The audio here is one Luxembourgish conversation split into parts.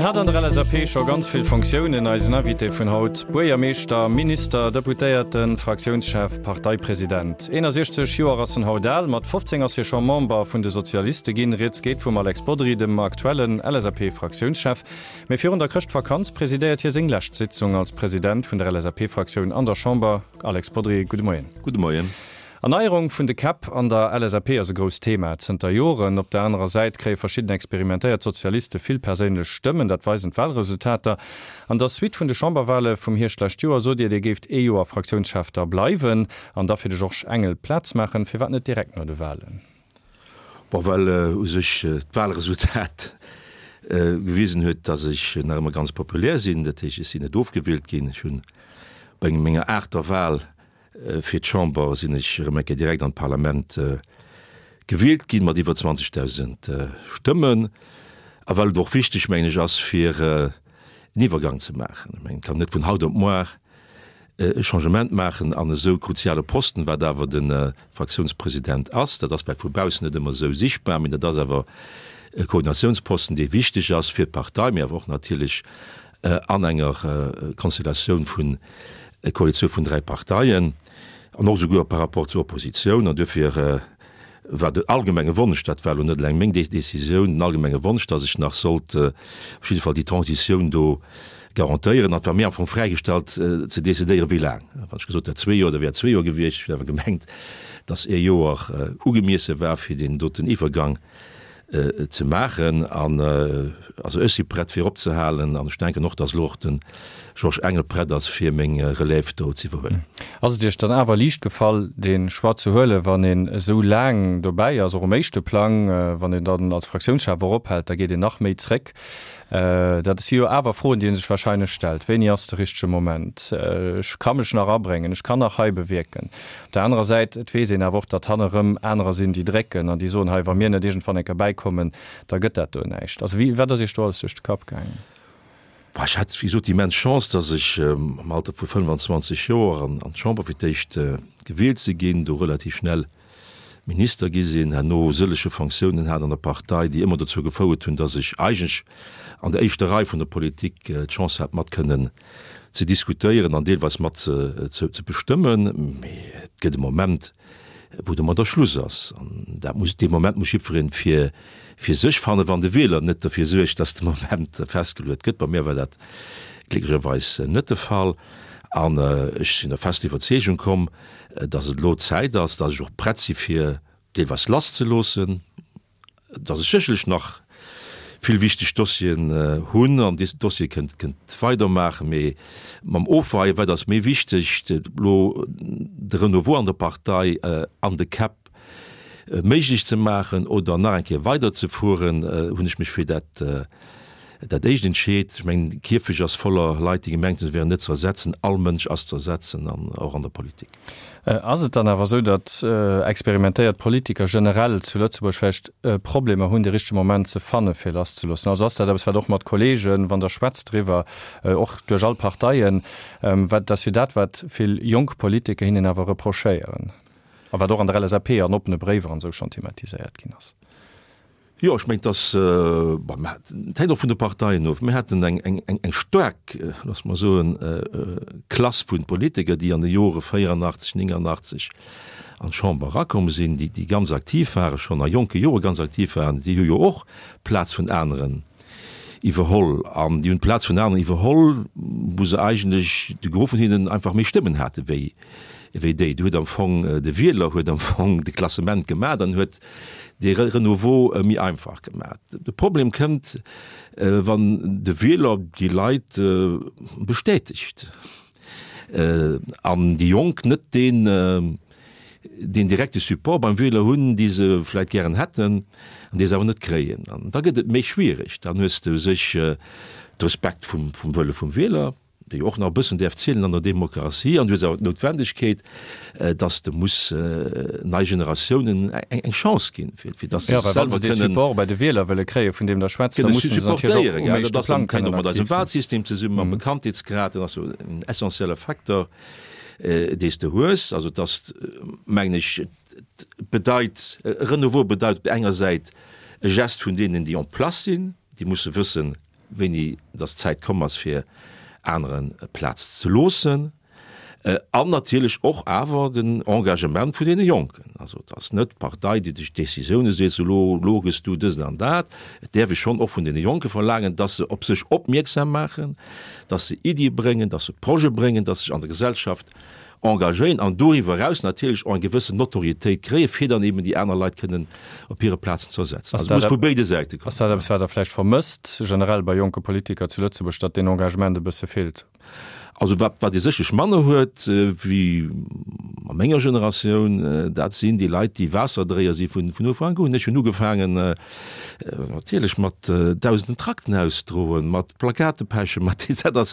hat an der LSAP scho ganz vill Fonctiounen, eisen Invité vun haut, Buergermeeschter, Minister, Deputéierten, Fraktiounschef, Parteipresident. 61 Joer ass en haut al, mat 15 ass hie scho Member vun de Sozialiste ginn. Rieds geet vum Alex Bodry, dem aktuellen LSAP-Fraktiounschef. Mee virun der Chrëschtvakanz presidéiert hie seng lescht Sitzung als President vun der LSAP-Fraktioun an der Chamber. Alex Bodry, gudde Moien. Gudde Moien. Erneierung vun de Käpp an der LSAP ass e grousst Thema zënter Joren. Op der anerer Säit kréie verschidden experimentéiert Sozialiste vill perséinlech Stëmmen, dat weisen d'Wahlresultater. An der Suite vun de Chamberwahle vum Hierscht d'lescht Joer sot Dir, Dir géift ee Joer Fraktiounschef da bleiwen an da fir de Georges Engel Plaz maachen. Firwat net direkt no de Wahlen? Bon, well u sech d'Wahlresultat gewisen huet, datt ech nach ëmmer ganz populär sinn. Dat heescht, ech sinn net ofgewielt ginn. Ech hunn bei menger aachter Wahl Fir d'Chamber sinn ech erëm eng Kéier direkt an d'Parlament gewielt ginn, mat iwwer 20.000 Stëmmen. A well et och wichteg, mengen ech, ass, fir en Iwwergang ze maachen. Ech mengen, et kann net vun haut op muar e Changement maachen an esou kruziale Posten, wat awer de Fraktiounspresident ass. Dat ass vläicht vu baussen net ëmmer esou sichtbar, mee dat ass awer e Koordinatiounsposten, dee wichteg ass fir d'Partei, mee awer och natierlech an enger Konstellatioun vun Koalitioun vun 3 Parteien an och esouguer par rapport zur Oppositioun. An duerfir war den allgemenge Wonsch, dat war elo net eleng meng Décisioun, den allgemenge Wonsch, datt ech nach sollt op jidde Fall déi Transitioun do garantéieren. An et war mir am Fong fräigestallt ze decidéieren, wéi laang. Wann ech gesot hätt zwee Joer, da wär et zwee Joer gewiescht. Ech hunn awer gemengt, datt ee Joer ugemiesse war fir deen doten Iwwergang ze maachen. An also ech si prett fir opzehalen an ech denken och, datt elo och de Georges Engel prett ass fir meng Relève do ze iwwerhuelen. Ass et Iech dann awer liicht gefall dee Choix ze huelen, wann een esou laang dobäi ass, och um éischte Plang, wann een dann als Fraktiounschef och ophält, da geet een nach méi zréck. Dat si jo awer Froen, déi ee sech wahrscheinlech stellt. Wéini ass de richtege Moment? Ech ka mech nach abréngen, ech kann nach hei bewierken. Op der anerer Säit, et weess een awer och, datt hanne rëm anerer sinn, déi drécken an déi soen, hei, wa mir net iergendwann eng Kéier bäikommen, da gëtt dat do näischt. Also wéi, wat ass Iech do alles duerch de Kapp gaangen? Bah, ech hat, wéi gesot, déi immens Chance, datt ech am Alter vu 25 Joer an d'Chamber fir d'éischt gewielt si ginn, do relativ schnell Minister gi sinn, herno sëllege Fonctiounen hat an der Partei, déi ëmmer dozou gefouert hunn, datt ech eigentlech an der éischter Rei vun der Politik d'Chance hat, mat kënnen ze diskutéieren an deelweis mat ze bestëmmen. Mee et gëtt e Moment, wou domadder Schluss ass. An dat muss, dee Moment muss jiddweree fir fir sech fannen, wann de Wieler net derfir suergt, datt de Moment festgeluet gëtt. Bei mir war dat glécklecherweis net de Fall. An ech sinn der fester Iwwerzeegung komm, dass et elo Zäit ass, dass ech och prett si fir deelweis lasszeloossen, dass ech sécherlech nach vill wichteg Dossieren hunn an déi Dossiere kënnt kënnt weidermaachen, mee mam Ofweien, wat ass méi wichteg, elo de Renouveau an der Partei an de Käpp méiglech ze maachen oder nach eng Kéier weiderzefueren, hunn ech mech fir dat Dat éischt entscheet. Ech mengen, de Kierfecht ass voller Leit, déi gemengt hunn, se wären net ze ersetzen. All Mënsch ass ze ersetzen, an och an der Politik. Ass et dann awer esou, datt experimentéiert Politiker generell zu Lëtzebuerg vläicht Problemer hunn, de richtege Moment ze fanne fir lasszeloossen? Also ass dat eppes, wat och mat Kollegen, wann Der schwätzt driwwer, och duerch all Parteien, wat ass jo dat, wat vill jonk Politiker hinnen awer reprochéieren a wat och an der LSAP an oppene Bréiwer an esou schonn thematiséiert ginn ass? Jo, ech mengen, dass, bon, mä et hänkt och vun de Parteien of. Mir haten eng, eng, eng, eng staark, loosse mer soen, Klass vu Politiker, déi an de Jore 84, 89 an d'Chamber erakomm sinn, déi, déi ganz aktiv waren, schonn a jonke Jore ganz aktiv waren. Déi hu jo och d'Plaz vun aneren iwwerholl. An déi hunn d'Plaz vun aneren iwwerholl, wou se eigentlech, de Gros vun hinnen einfach méi Stëmmen hate wéi, wéi déi. Do huet am Fong de Wieler huet am Fong de Klassement gemaach an huet dee Renouveau méi einfach gemaach. De Problem kënnt, wann de Wieler déi Leit bestätegt an déi Jonk net deen deen direkte Support beim Wieler hunn, dee se vläicht gären hätten an dee se awer net kréien. An da gëtt et méi schwierig. Dann hues de u sech de Respekt vum Wëlle vum Wieler. déi och nach e bëssen däerf zielen an der Demokratie, an du hues awer d'Noutwendegkeet, dass de muss nei Generatiounen eng Chance ginn, fir fir dass se sech selwer kënnen. Dee Support bei de Wieler wëlle kréien, vun deem Der schwätzt, da mussen se natierlech och um éischte Plang kënnen aktiv sinn. Dat ass mat eisem Wahlsystem zesummen, mam Bekanntheetsgrad, dat ass jo en essentielle Facteur, dee s de hues. Also et ass, mengen ech, et bedeit, e Renouveau bedeit op der enger Säit e Gest vun deenen, déi en place sinn, déi musse wëssen. wéini dass d'Zäit komm ass, fir anere Plaz ze loossen. An natierlech och awer den Engagement vun deene Jonken. Also et ass net d'Partei, déi duerch Décisioune seet, sou elo, elo gëss du dësen an dat. Et däerf ee schonn och vun deene Jonke verlaangen, dass se op sech opmierksam maachen, dass se Iddie bréngen, dass se Projete bréngen, dass se sech an der Gesellschaft engagéieren an doriwwer eraus natierlech och eng gewëssen Notoriétéit kréien, fir dann eben déi aner Leit kënnen op hire Plazen ze ersetzen. Also et muss vu béide Säite kommen. Ass dat eppes, wat Der vläicht vermësst, generell bei jonke Politiker zu Lëtzebuerg, datt deen Engagement e bësse feelt? Also wat wat ee sécherlech manner huet wéi a menger Generatioun, dat sinn déi Leit, déi Waasserdréier si vun vun Ufank un. Ech hunn ugefaangen natierlech mat dausenden Trakten ausdroen, mat Plakate pechen, mat dat ass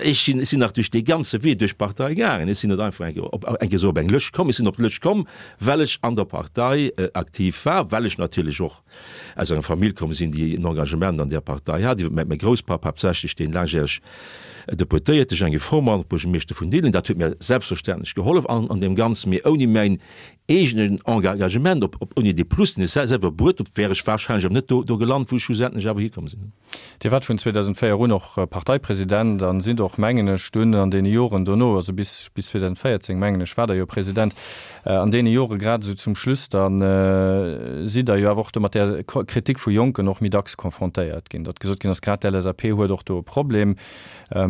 ech sinn ech sinn nach duerch dee ganze Wee duerch d'Partei gaangen. Ech sinn net einfach eng Kéier op eng Kéier esou op eng Lëscht komm. Ech sinn op d'Lëscht komm, well ech an der Partei aktiv war, well ech natierlech och aus enger Famill komm sinn, déi en Engagement an där Partei hat, iwwer mäi Grousspapp haaptsächlech, deen laangjäreg Deputéierte, Jean-Guy Fohrmann, Buergermeeschter vun Diddeleng. Dat huet mir selbstverständlech gehollef an an deem Ganzen, mee ouni mäin eegenen Engagement, op op ouni dee Plus, deen ech selwer bruet hunn, wär ech wahrscheinlech awer net do do gelant, wou ech schlussendlech awer hikomm sinn. Dir waart vun 2004 un och Parteipresident an sidd och, mengen ech, dunn an deene Joren dono, also bis bis 2014, mengen ech, waart Der jo President, an deene Jore grad esou zum Schluss da sidd Der jo awer och do mat där Kritik vu Jonken och méi dacks confrontéiert ginn, datt gesot ginn ass, grad d'LSAP huet och do e Problem.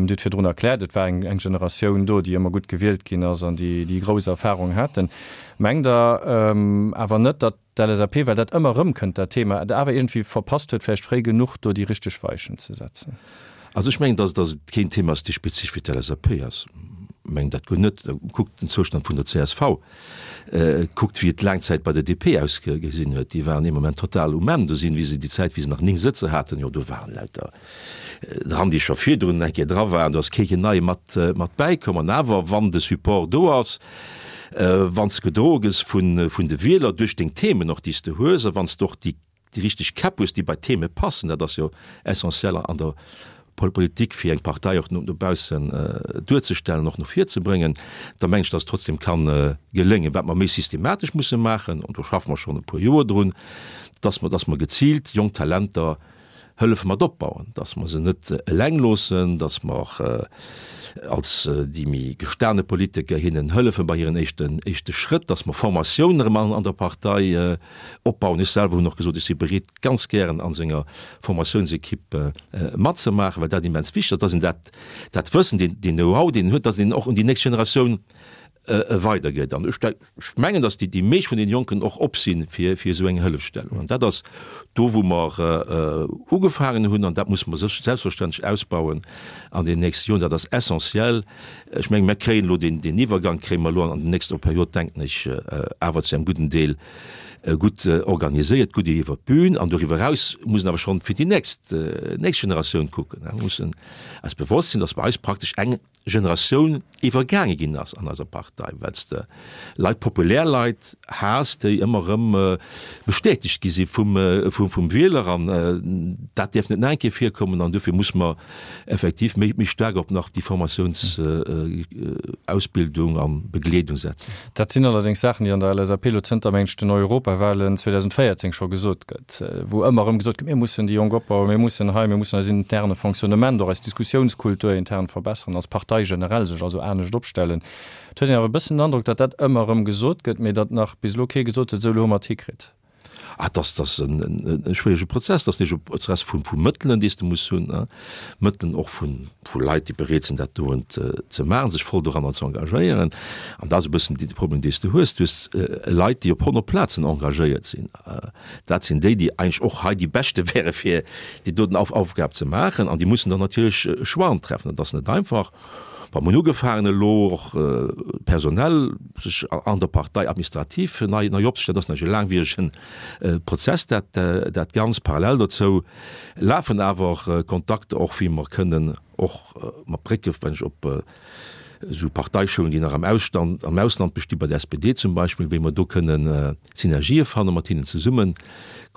Dir hutt virdrun erkläert, et war eng eng Generatioun do, déi ëmmer gutt gewielt ginn ass an déi déi grouss Erfahrung haten. Mengt Der awer net, datt D'LSAP, well dat ëmmer erëmkënnt, dat Thema, et awer iergendwéi verpasst huet, vläicht fréi genuch do déi richteg Weichen ze setzen. Also ech mengen, dass dass et keen Thema ass, dee spezifesch fir d'LSAP ass. Ech mengen dat guer net. Kuckt den Zoustand vun der csv, kuckt wéi et laang Zäit bei der DP ausgesinn huet. Déi waren ee Moment total um Enn. Do sinn, wéi se déi Zäit, wéi se nach 9 Sëtzer haten, jo do waren lauter dran, déi scho virdrun eng Kéier dra waren. Do ass kee keen Neie mat mat bäikomm. An awer, wann de Support do ass, wann s de gedroe gëss vun vun de Wieler duerch deng Themen och, déi s de hues, a wann s de och déi déi richteg Käpp hues, déi bei d'Theme passen, dat ass jo essentiel an der Politik, fir eng Partei och no baussen duerzestellen, och no vir ze bréngen, da mengen ech, datt et trotzdem ka geléngen. Wat mer méi systematesch musse maachen, an do schaffe mer schonn e puer Joer drun, datt mer, datt mer geziilt jonk Talenter hëllefe mat opbauen, dass mer se net eleng loossen, dass mer als déi méi gestane Politiker hinnen hëllefe bei hiren éischten éischte Schrëtt, dass mer Formatiounen erëm an der Partei opbauen. Ech selwer hunn och gesot, ech si bereet ganz gären an esou enger Formatiounsequipe matzemaachen, well dat immens wichteg ass, dass een dat dat Wëssen, deen deen Know-how, deen een huet, dass een och un déi nächst Generatioun weidergëtt. An ech mengen, datt déi meescht vun den Jonken och op si fir esou eng Hëllefstellung. An dat ass do, wou mer ugefaangen hunn, an dat musse mer selbstverständlech ausbauen an den nächste Joren. Dat ass essentiell. Ech mengen, mer kréien elo deen Iwwergang kréie mer elo an der nächster Period, denken ech, awer zu engem gudden Deel gutt organiséiert, gutt iwwer d'Bün. An doriwwer eraus muss een awer schonn fir déi nächst Generatioun kucken. Mir mussen eis bewosst sinn, datt bei eis praktesch eng Generatioun iwwergaange ginn ass an eiser Partei, well s de Leit, populär Leit has, déi ëmmer erëm bestätegt gi si vum, vum Wieler. An dat däerf net nach eng Kéier virkommen. An dofir muss mer effektiv méi, méi staark op nach déi Formatiounsausbildung a Begleedung setzen. Dat sinn allerdéngs Saachen, déi an der LSAP elo zënter, mengen ech, den Europawahlen 2014 scho gesot gëtt, wou ëmmer erëm gesot gëtt, mir mussen déi Jonk opbauen, mir mussen hei, mir mussen eis interne Fonctionnement, och eis Diskussiounskultur intern verbessern, als Partei generell sech also anescht opstellen. Et huet een awer e bëssen den Androck, datt dat ëmmer erëm gesot gëtt, mee datt nach bis elo kee gesot huet, esou elo hu mer et hikritt. Ah, dass dass en e schwierege Prozess, dass e Prozess vu vu Mëttelen, déi s de muss hunn, Mëttelen och vu vu Leit, déi bereet sinn, dat doen ze maachen, sech voll doranner ze engagéieren. An dat ass e bëssen de Problem, dee s de hues. Du hues Leit, déi op 100 Plazen engagéiert sinn. Dat sinn déi, déi eigentlech och hei déi Beschte wäre fir déi doten Aufgab ze maachen. An déi mussen dann natierlech Choixen treffen. Dat ass net einfach. Bon, mir hunn ugefaangen elo och personell sech an der Partei administrativ nei nei opzestellen. Dat ass natierlech e laangwieregen Prozess, dat dat Ganzt. Parallel dozou lafen awer Kontakter och, wéi mer kënnen och mat Brécke, wenn ech op. Esou Parteischoulen, déi nach am Ausstand, am Ausland bestinn, bei der SPD zum Beispill, wéi mer do kënnen Synergië fannen, mat hinnen zesummen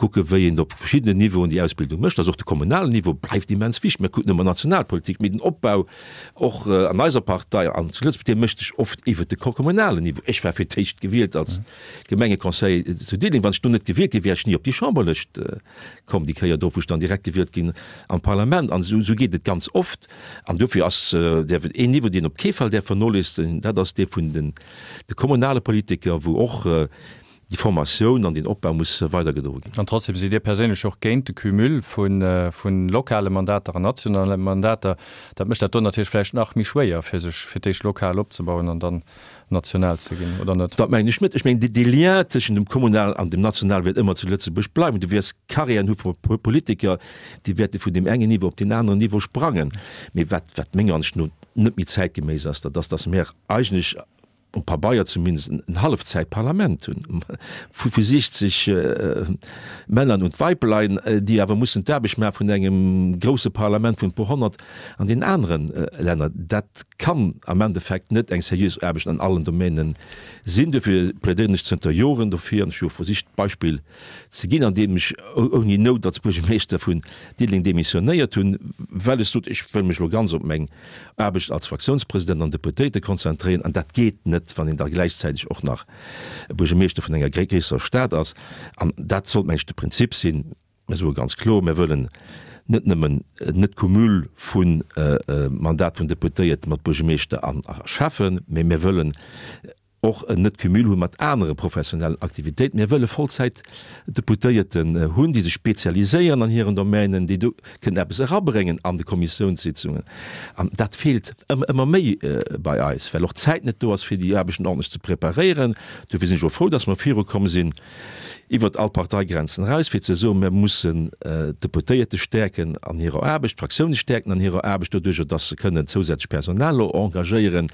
kucken, wéi een op verschiddenen Niveauen déi Ausbildung mécht. Also och de kommunalen Niveau bleift immens wichteg. Mir kucken ëmmer Nationalpolitik, mee den Opbau och an eiser Partei an zu Lëtzebuerg, dee mécht sech oft iwwert de kommunalen Niveau. Ech war fir d'éischt gewielt als Gemengeconseiller zu Diddeleng. Wann ech do net gewielt gi wär, ech ni op déi Chamberlëscht komm, déi Kéier drop, wou ech dann direkt gewielt ginn am Parlament. An esou geet et ganz oft. An dofir ass däerf et een Niveau, deen op kee Fall däerf vernoléissegt, dat ass dee vun den de kommunale Politiker, wou och déi Formatioun an deen Opbau muss weidergedroe ginn. An trotzdem sidd Dir perséinlech och géint de Cumul vu lokale Mandater an nationale Mandater. Dat mécht dat do natierlech vläicht nach méi schwéier, fir sech fir d'éischt lokal opzebauen an dann national ze ginn, oder net? Dat mengen ech net. Ech mengen, dee Lien tëschent dem Kommunalen an dem Nationale wäert ëmmer zu Lëtzebuerg bleiwen. Du wäers Carrièren hu vu Politiker, déi wäerte vun deem engen Niveau op deen aneren Niveau sprangen. Mee wat, wat menger Ansicht no net méi zäitgeméiss ass, dat ass, datt mir eigentlech, um Pabeier zumindest, en Hallefzäitparlament hunn vu 60 Männern und Weiblein, déi awer mussen d'Aarbecht maache vun engem grousse Parlament vun e puer Honnert an deenen anere Länner. Dat kann am Endeffekt net eng seriös Aarbecht an allen Domänen sinn. Dofir plädéieren ech zënter Joren dofir, an ech hu jo versicht d'Beispill ze ginn, andeem ech ouni Nout als Buergermeeschter vun Diddeleng demissionéiert hunn, well ech sot, ech wëll mech elo ganz op meng Aarbecht als Fraktiounspresident an Deputéierte konzentréieren. An dat geet net, wann een da gläichzäiteg och nach Buergermeeschter vun enger gréisserer Stad ass. An dat sollt, meng ech, de Prinzip sinn. Mir soe ganz kloer, mir wëllen net nëmmen net Cumul vu Mandat vun Deputéierte mat Buergermeeschter an a Schäffen, mä mir wëllen och en net Cumul hu mat anere professionellen Aktivitéiten. Mir wëlle Vollzäitdeputéierten hunn, déi sech spezialiséieren an hiren Domänen, déi do kënnen eppes erabréngen an de Kommissiounssitzungen. An dat feelt ëmmer méi bei eis, well och d'Zäit net do ass, fir déi Aarbechten ordentlech ze preparéieren. Dofir sinn ech och frou, dass mer virukomm sinn. iwwert all Parteigrenzen eraus, fir ze soen, mir mussen d'Deputéierte stäerken an hirer Aarbecht, d'Fraktioune stäerken an hirer Aarbecht, doduerjer datt se kënnen zousätzlech Personal elo engagéieren,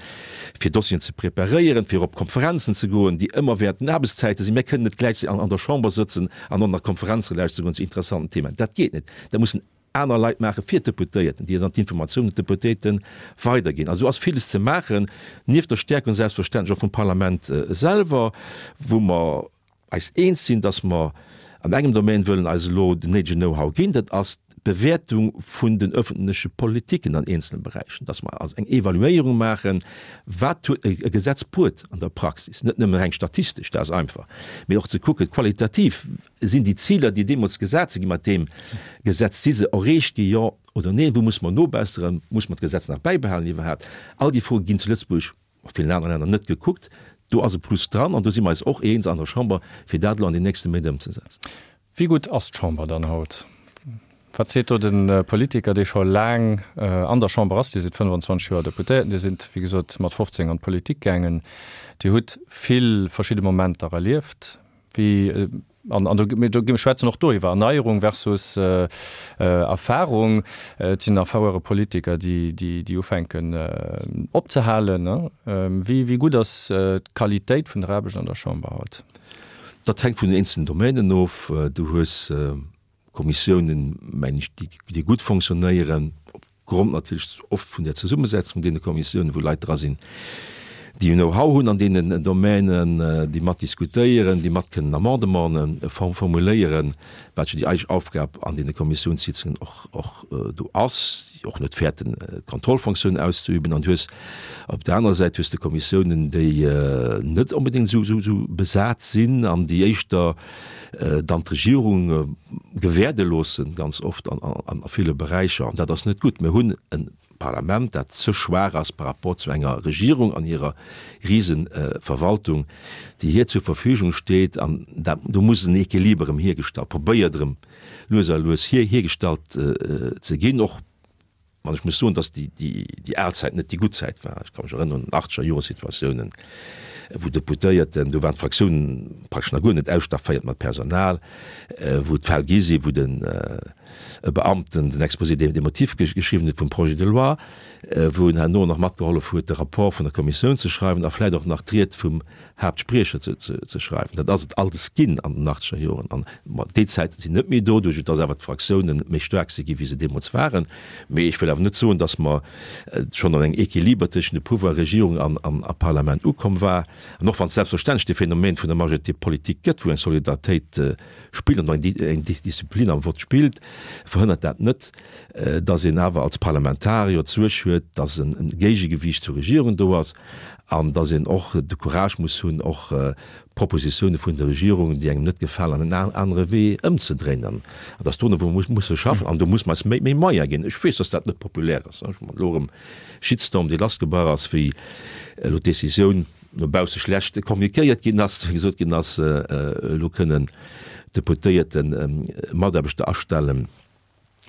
fir Dossieren ze preparéieren, fir op Konferenzen ze goen, déi ëmmer während den Aarbechtszäite sinn. Mir kënnen net gläichzäiteg an der Chamber sëtzen an och nach Konferenze lauschteren goen zu interessanten Themen. Dat geet net. Dat mussen aner Leit maache fir d'Deputéierten, déi dann d'Informatiounen un d'Deputéierte weiderginn. Also do ass villes ze maachen, nieft der Stärkung selbstverständlech och vum Parlament selwer, wou mer eis eens sinn, dass mer an engem Domaine wëllen eis elo den néidegen Know-how ginn, dat ass d'Bewäertung vun den öffentleche Politiken an eenzele Beräichen, dass mer also eng Evaluéierung maachen, wat huet e Gesetz bruet an der Praxis, net nëmmen reng statistesch, dat ass einfach, mee och ze kucken qualitativ, Sinn déi Ziler, déi deemools gesat si gi mat deem Gesetz, si se erreecht gi, jo oder neen? Wou muss mer nobesseren? Muss mer d'Gesetz nach bäibehalen iwwerhaapt? All déi Froe ginn zu Lëtzebuerg, a villen anere Länner, net gekuckt. Do ass e Plus dran an do si mer eis och eens an der Chamber, fir dat elo an den nächste Méint ëmzesetzen. Wéi gutt ass d'Chamber dann haut? Wat seet do de Politiker, dee scho laang an der Chamber ass? Dir sidd 25 Joer Deputéierten, Dir sidd, wéi gesot, mat 15 an d'Politik gaangen. Dir hutt vill verschidde Momenter erlieft. Wéi, an, an do, mir do, mir schwätzen och do iwwer Erneierung versus Erfahrung. Et sinn erfauere Politiker, déi, déi, déi ufänken opzehalen, ne? Wéi, wéi gutt ass d'Qualitéit vun der Aarbecht an der Chamber haut? Dat hänkt vun den eenzelen Domänen of. Du hues Kommissiounen, mengen ech, déi, déi gutt fonctionnéieren, Grond natierlech oft vun der Zesummesetzung vun deene Kommissiounen, wou Leit dra sinn, déi en Know-how hunn an deenen Domänen, déi mat diskutéieren, déi mat kënnen Amendementen formuléieren, wat jo déi eig Aufgab an deene Kommissiounssitzungen och, och do ass, déi och net fäerten, d'Kontrollfunktioun auszeüben. An du hues op der anerer Säit hues de Kommissiounen, déi net onbedéngt esou, esou, esou besat sinn an déi éischter dann d'Regierung gewäerde loossen, ganz oft an a ville Beräicher, an dat ass net gutt. Mir hunn e Parlament, dat ze schwaach ass par rapport zu enger Regierung an hirer Riseverwaltung, déi hir zur Verfügung steet. An dat, do muss en Equiliber erëm hiergestallt, probéiert erëm lues a lues hiergestallt ze ginn, och An ech muss soen, dass déi, déi, déi al Zäit net déi gutt Zäit war. Ech ka mech erënneren un achtzeger Jore Situatiounen, wou Deputéierten, do waren d'Fraktiounen praktesch nach guer net ausstafféiert mat Personal, wou et Fäll gi sinn, wou den. e Beamten den Exposé des motifs geschriwwen huet vum Projet de loi, wou en herno nach matgehollef huet, de Rapport vun der Kommissioun ze schreiwen a vläicht och nach d'Ried vum Haaptspriecher ze schreiwen. Dat ass et alles ginn an den achtzeger Joren. An déi Zäite sinn net méi do, duerch dass awer d'Fraktiounen méi staark si gi wéi se deemools waren. Mee ech wëll awer net soen, dass mer schonn an engem Equiliber tëschent de Pouvoir Regierung an Parlament ukomm war. An och wann et selbstverständlech de Phänomen vun der Majorité politique gëtt, wou eng Solidaritéit spillt an eng Disziplin am Vott spillt, verhënnert dat net, dass een awer als Parlamentarier d'Suerg huet, dass e Géigegewiicht zur Regierung do ass an dass een och de Courage muss hunn, och Propositioune vun der Regierung, déi engem net gefalen, an en anere Wee ëmzedréinen. An et ass dorunner, wou mer musse schaffen. An do muss mer eis méi Moyene ginn. Ech weess, dass dat net populär ass. Ech hunn elo erëm Shitstorm, dee lassgebrach ass, wéi elo d'Decisioun no bausse schlecht kommunikéiert ginn ass, wéi gesot ginn ass, elo kënnen Deputéierte Mataarbechter astellen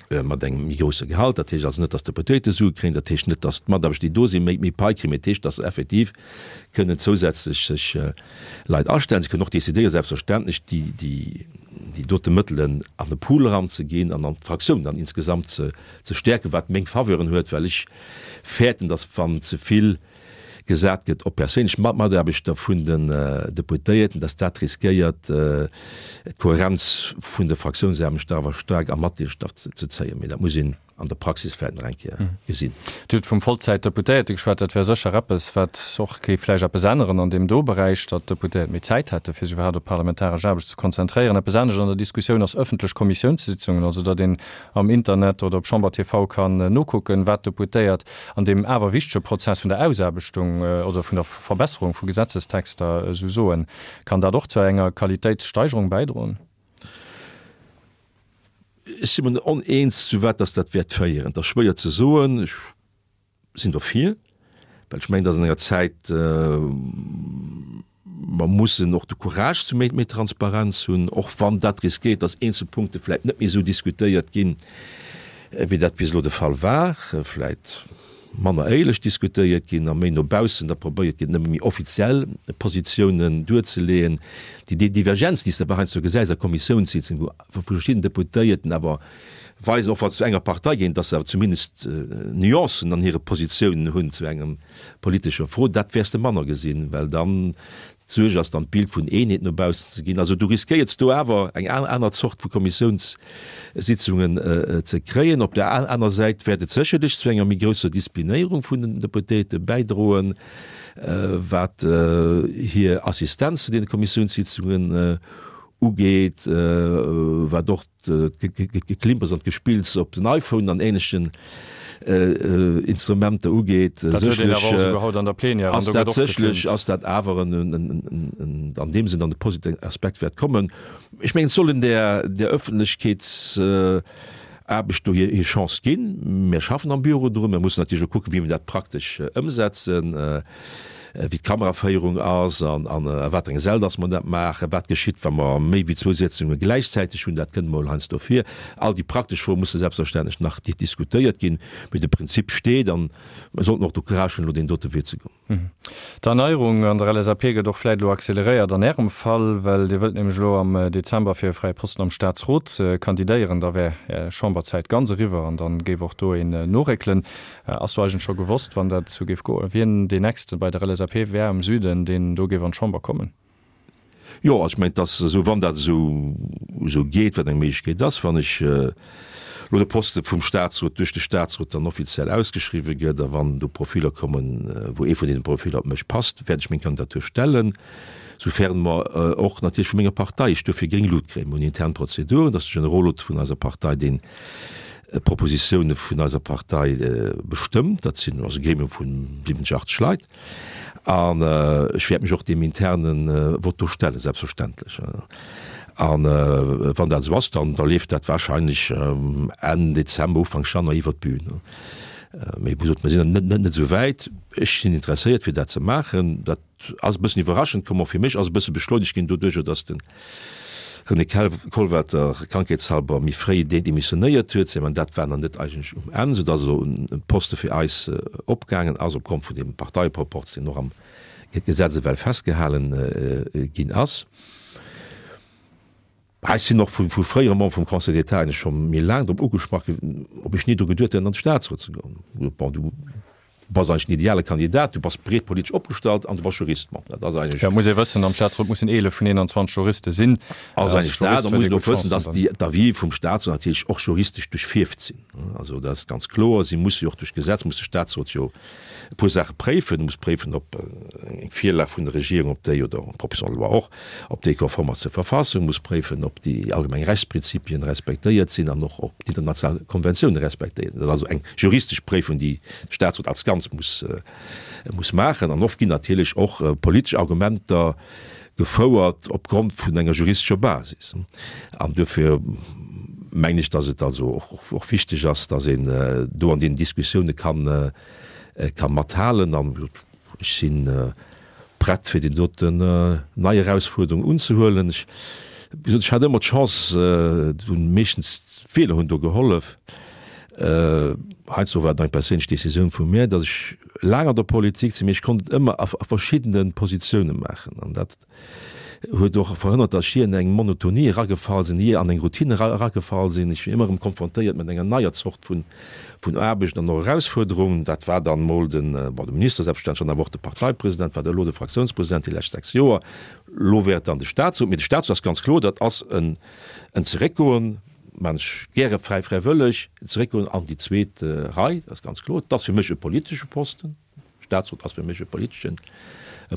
mat engem méi grousse Gehalt. Dat heescht also net, datt d'Deputéierte Sue kréien, dat heescht net, datt d'Mataarbechter, déi do sinn, méi méi Pai kréien, mee et heescht, datt se effektiv kënnen zousätzlech sech Leit astellen. Se kënnen och decidéieren, selbstverständlech, déi déi déi dote Mëttelen an e Pool eranzeginn an an d'Fraktioun dann insgesamt ze ze stäerken, wat meng Faveuren huet, well ech fäerten, datt wann ze vill gesat gëtt op perséinlech Mataarbechter vun den Deputéierten, datt dat riskéiert, d'Kohärenz vun de Fraktiounsaarbechter awer staark a Matleedschaft ze zéien. Mee dat muss een an der Praxis vläicht nach eng Kéier gesinn. Dir hutt vum Vollzäitdeputéierte geschwat. Dat wär sécher eppes, wat och géif vläicht eppes änneren an deem do Beräich, datt d'Deputéiert méi Zäit hätte fir sech iwwerhaapt op parlamentaresch Aarbecht ze konzentréieren. Eppes anescht an der Diskussioun ass ëffentlech Kommissiounssitzungen, also datt een am Internet oder op Chamber TV kann nokucken, wat d'Deputéiert an deem awer wichtege Prozess vun der Ausaarbechtung oder vun der Verbesserung vu Gesetzestexter esou soen. Kann dat och zu enger Qualitéitssteigerung bäidroen? Ech si mer oneens, zu wat dass dat wäert féieren. Et ass schwéier ze soen. Ech sinn dofir, well ech mengen, dass an enger Zäit, mer mussen och de Courage zu méi Transparenz hunn, och wann dat riskéiert, dass eenzel Punkte vläicht net méi esou diskutéiert ginn, wéi dat bis elo de Fall war, vläicht manner éierlech diskutéiert ginn a méi no baussen da probéiert gëtt, nëmme méi offiziell Positiounen duerzeleeën. Déi Divergenz, déi s de awer heiansdo gesäis a Kommissiounssitzungen, wou verschidden Deputéierten awer weisen, och wa se zu enger Partei ginn, dass se awer zumindest Nuancen an hire Positiounen hunn zu engem politescher Fro. Dat wäers de manner gesinn, well dann d'Suerg ass, dann d'Bild vun Eenheet no baussen ze ginn. Also du riskéiers do awer eng aner Zort vu Kommissiounssitzungen ze kréien. Op der aner Säit wäert et sécherlech zu enger méi grousser Disziplinéierung vun den Deputéierte bäidroen, wat hir Assistenz zu deene Kommissiounssitzungen ugeet, wat och d'Geklimpers an d'Gespills op den iPhone an ähnlechen Instrumenter ugeet. Dat huet een awer och esouguer haut an der Plenière an do gëtt och gefilmt. Ass dat awer en an deem Sënn an de positiven Aspekt wäert kommen. Ech mengen, et soll een där Ëffentlechkeetsaarbecht do hir Chance ginn. Mir schaffen am Büro drun. Mir mussen natierlech och kucken, wéi mir dat praktesch ëmsetzen. wéi d'Kameraféierung ass an a wat eng Säll dass mer dat maachen, wat geschitt, wa mer méi wéi zwou Sitzunge gläichzäiteg hunn, dat kënnt emol heiansdo vir. All déi praktesch Froe musse selbstverständlech nach diskutéiert ginn, mee de Prinzip steet an mer sollten och de Courage hunn, elo deen dote Wee ze goen. D'Erneierung an der LSAP gëtt och vläit elo acceleréiert an Ärem Fall, well Dir wëllt nämlech elo am Dezember fir e fräie Posten am Staatsrot kandidéieren. Da wär Är Chamberzäit ganz eriwwer an dann géif och do een noréckelen. Ass do eigentlech scho gewosst, wann dat esou géif goen, wien deen Nächste bei der LSAP wär am Süden, deen do géif an d'Chamber kommen? Jo, also ech mengen, et ass esou, wann dat esou esou geet, wat eng Méiglechkeet ass, wann ech elo de Poste vum Statsrot duerch de Statsrot dann offiziell ausgeschriwwen gëtt a wann do Profiller kommen, wou ee vun deene Profiller op mech passt, wäert ech meng Kandidatur stellen, soufern mer och natierlech vu menger Partei ech duerfir gréng Lut kréien. Mir hunn intern Prozeduren, et ass de Generolot vun eiser Partei, deen Propositioune vun eiser Partei bestëmmt. Dat sinn ass e Gremium vu 70, 80 Leit. An ech wäert mech och deem interne Vott do stellen, selbstverständlech. A wann dat esou ass, dann da leeft dat wahrscheinlech Enn Dezember, Ufank Januar iwwer d'Bün. Mee wéi gesot, mir sinn nach net esou wäit. Ech sinn interesséiert, fir dat ze maachen. Dat Ass e bëssen iwwerraschend komm, och fir mech, ass e bësse beschleunegt ginn doduercher, datt de René Kollwelter krankheetshalber méi fréi demissionéiert huet. Mä dat war nach net eigentlech um Enn, soudatt elo e Poste fir eis opgaangen ass, opgrond vun deem Parteieproporz, deen och am Gesetz ewell festgehalen ginn ass. Ech sinn och vu fréiere Membere vum Conseil d'État eigentlech scho méi laang drop ugesprach ginn, ob ech ni dru geduet hätt, an de Statsrot ze goen. Bon, du bass eigentlech den ideale Kandidat, du bass breet politesch opgestallt an du bass Jurist. Bon, dat ass eigentlech. Jo, muss ee wëssen, am Statsrot mussen 11 vun 21 Juriste sinn. Ass eigentlech dat. A muss een och wëssen, dass déi d'Avis vum Statsrot natierlech och juristesch duerchfierft sinn. Also dat ass ganz kloer. Si musse jo och duerch d'Gesetz muss de Statsrot jo e puer Saache préifen. E muss préifen, ob eng Virlag vun der Regierung, ob déi, oder eng Proposition de loi och, ob déi konform ass zur Verfassung, muss préifen, ob déi allgemeng Rechtsprinzipien respektéiert sinn an och, ob d'international Konventiounen respektéiert sinn. Dat ass also eng juristesch Préifung, déi de Statsrot als Ganz muss, muss maachen. An oft ginn natierlech och politesch Argumenter gefouert opgrond vun enger juristescher Basis. An duerfir mengen ech, dass et also och wichteg ass, dass een do an deenen Diskussioune kann, ka mathalen. An ech si prett, fir déi doten nei Erausfuerderung unzehuelen. Ech, wéi gesot, ech hat ëmmer d'Chance, hunn meeschtens d'Wieler hunn do gehollef, heiansdo war et eng perséinlech Decisioun vu mir, datt ech laang an der Politik sinn, mee ech konnt et ëmmer a verschiddene Positioune maachen. An dat huet och verhënnert, datt ech jee an eng Monotonie eragefall sinn, jee an eng Routine eragefall sinn. Ech wier ëmmer erëm konfrontéiert mat enger neier Zort vun Aarbecht an och Erausfuerderungen. Dat war dann emol den, bon, de Minister selbstverständlech, dann awer och de Parteipresident, war da elo de Fraktiounspresident déi lescht 6 Joer. Elo wär et dann de Statsrot. Mee de Statsrot ass ganz kloer, dat ass en Zeréckgoen, maan ech gäre fräi fräiwëlleg, zeréckgoen an déi zweet Rei, dat ass ganz kloer. Et ass fir mech e politesche Posten. Staatsrot ass fir mech e politeschen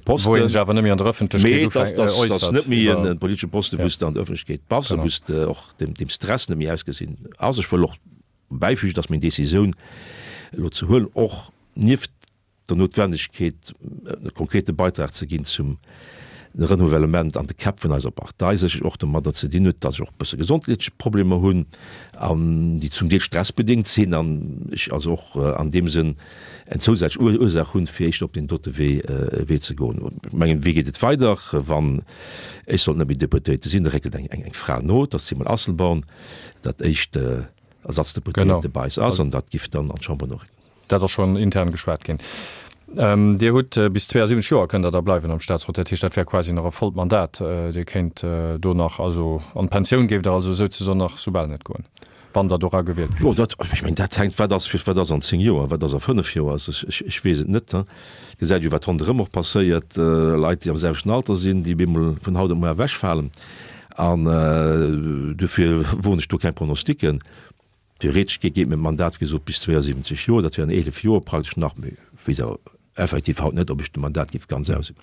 Posten. Wou een sech awer net méi an der Ëffentlechkeet äussert. Mee et ass net méi e politesche Posten, wou s de an der Ëffentlechkeet bass a wou s de och dem Stress net méi ausgesinn ass. Ech wëll och bäifügen, dass meng Decisioun elo ze huelen och nieft der Noutwendegkeet, e konkrete Beitrag ze ginn zum Renouvellement an de Käpp vun eiser Partei, sécherlech och domadder ze dinn huet, dass ech och e bësse gesondheetlech Problemer hunn an déi zum Deel stressbedéngt sinn an ech also och an deem Sënn eng zousätzlech Ursaach hunn, fir éischter op deen dote Wee Wee ze goen. Ech mengen, wéi geet et weider, wann ech sollt net méi Deputéierte sinn? Da réckelt eng eng Fra no, dat ass d'Simone Asselborn, dat éischt Ersatzdeputéierte bei eis ass an dat giff dann an d'Chamber noréckelen. Dat ass schonn intern geschwat ginn. Dir hutt bis 72 Joer kënnt Der da bleiwen am Staatsrot. Dat heescht, dat wär quasi nach e vollt Mandat. Dir kéint do nach, also an d'Pensioun géift Der also souzesoen nach soubal net goen, wann Der dora gewielt gitt. Jo, dat, ech mengen, dat hänkt, wat ass, wat ass an 10 Joer, wat ass a 5 Joer? Also ech, ech weess et net. Et gesäit jo, wat ronderëm och passéiert, Leit, déi am selwechten Alter sinn, déi op eemol vun haut op muer ewechfalen. An dofir woen ech do keng Pronosticken. Theoretesch geet geet mäi Mandat, wéi gesot, bis 72 Joer, dat wären 11 Joer praktesch nach, mee ech weess awer effektiv haut net, ob ech de Mandat géif ganz ausüben.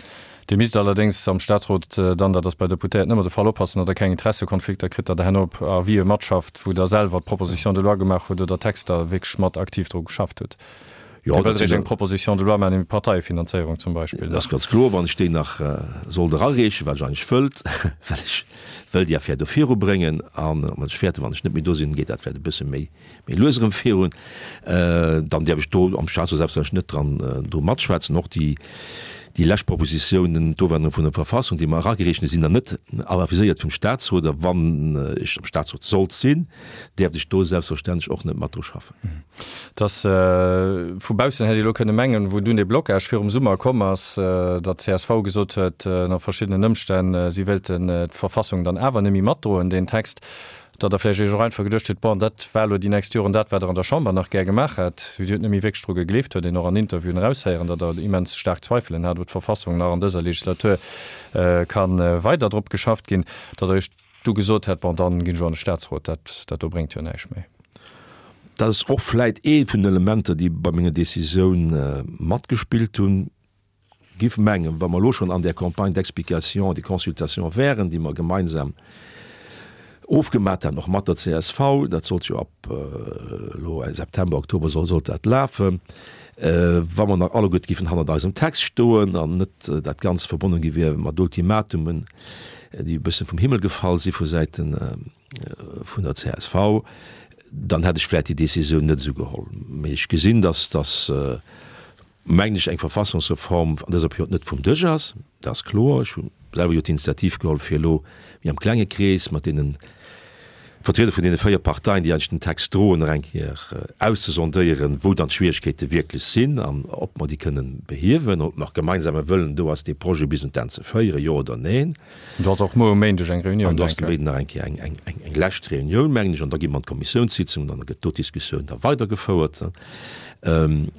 Dir misst allerdéngs am Statsrot dann, dat ass bei Deputéierten ëmmer de Fall, oppassen, datt Der keng Interessekonflikter kritt, datt Der herno op Avisë matschafft, wou Der selwer d'Proposition de loi gemaach hutt oder Texter wierklech mat aktiv dru geschafft hutt. Jo, Dir wëllt eréischt eng Proposition de loi maachen iwwer d'Parteiefinanzéierung zum Beispill. Dat ass ganz kloer, wann ech déi nach sollt erareechen, wat ech eigentlech wëllt, well ech wëll déi Affär do virubréngen an ech fäerten, wann ech net méi do sinn, geet dat vläicht e bësse méi méi lues erëm virun, dann däerf ech do am Staatsrot selbstverständlech net dran do matschwätzen. Och déi déi lescht Propositiounen, d'Ofännerung vun der Verfassung, déi mer eragereecht hunn, sinn dann net aviséiert vum Staatsrot a wann ech am Staatsrot sollt sinn, däerft ech do selbstverständlech och net mat dru schaffen. Dass vu baussen hätt ee elo kënne mengen, wou dunn dee Blocage virum Summer komm ass, datt csv gesot huet, ënner verschiddenen Ëmstänn, si wéilten d'Verfassung dann awer net méi matdroen, deen Text, datt Der vläicht Iech och einfach geduecht hutt, bon, dat war elo déi nächst Joren dat, wat Der an der Chamber nach gär gemaach hätt. Dir hutt net méi wierklech dru gegleeft, huet een och an Interviewen eraushéieren, datt Der immens staark Zweifelen hat, ob d'Verfassung nach an dëser Legislatur ka weider drop geschafft ginn, datt Der Iech du gesot hätt, bon, dann ginn ech elo an de Staatsrot, dat, dat do bréngt jo näischt méi. Dat ass och vläit ee vun den Elementer, déi bei menger Décisioun matgespillt hunn. Giff mengen, wa mer elo schonn an där Campagne d'explication et de consultation wären, déi mer gemeinsam ofgemat haten, och mat der csv, dat sollt jo ab elo September, Oktober soll, sollt dat lafen, wa mer nach alleguerte giffen hannert eisem Text stoen an net dat Ganzt verbonnen gi wier mat Ultimatumen, déi e bësse vum Himmel gefall si vu Säite vun der csv, dann hätt ech vläicht déi Décisioun net esou geholl. Mee ech gesinn, dass, dass, mengen ech, eng Verfassungsreform an dëser Period net vum Dësch ass. Dat ass kloer. Ech hu selwer jo d'Initiativ geholl, fir elo méi am klenge Krees mat deenen. Vertrieder vun deene 4 Parteien, déi eigentlech den Text droen, nach eng Kéier auszesondéieren, wou dann d'Schwierigkeete wierklech sinn an ob mer déi kënnen behiewen, ob nach gemeinsame Wëllen do ass, dee Projet bis un d'Enn ze féieren, jo oder neen. An do ass och muer um Méindeg eng Reunioun, An do ass de Méinden nach eng Kéier eng, eng, eng lescht Reunioun, mengen ech, an da gi mer an d'Kommissiounssitzung an da gëtt do d'Diskussioun da weidergefouert.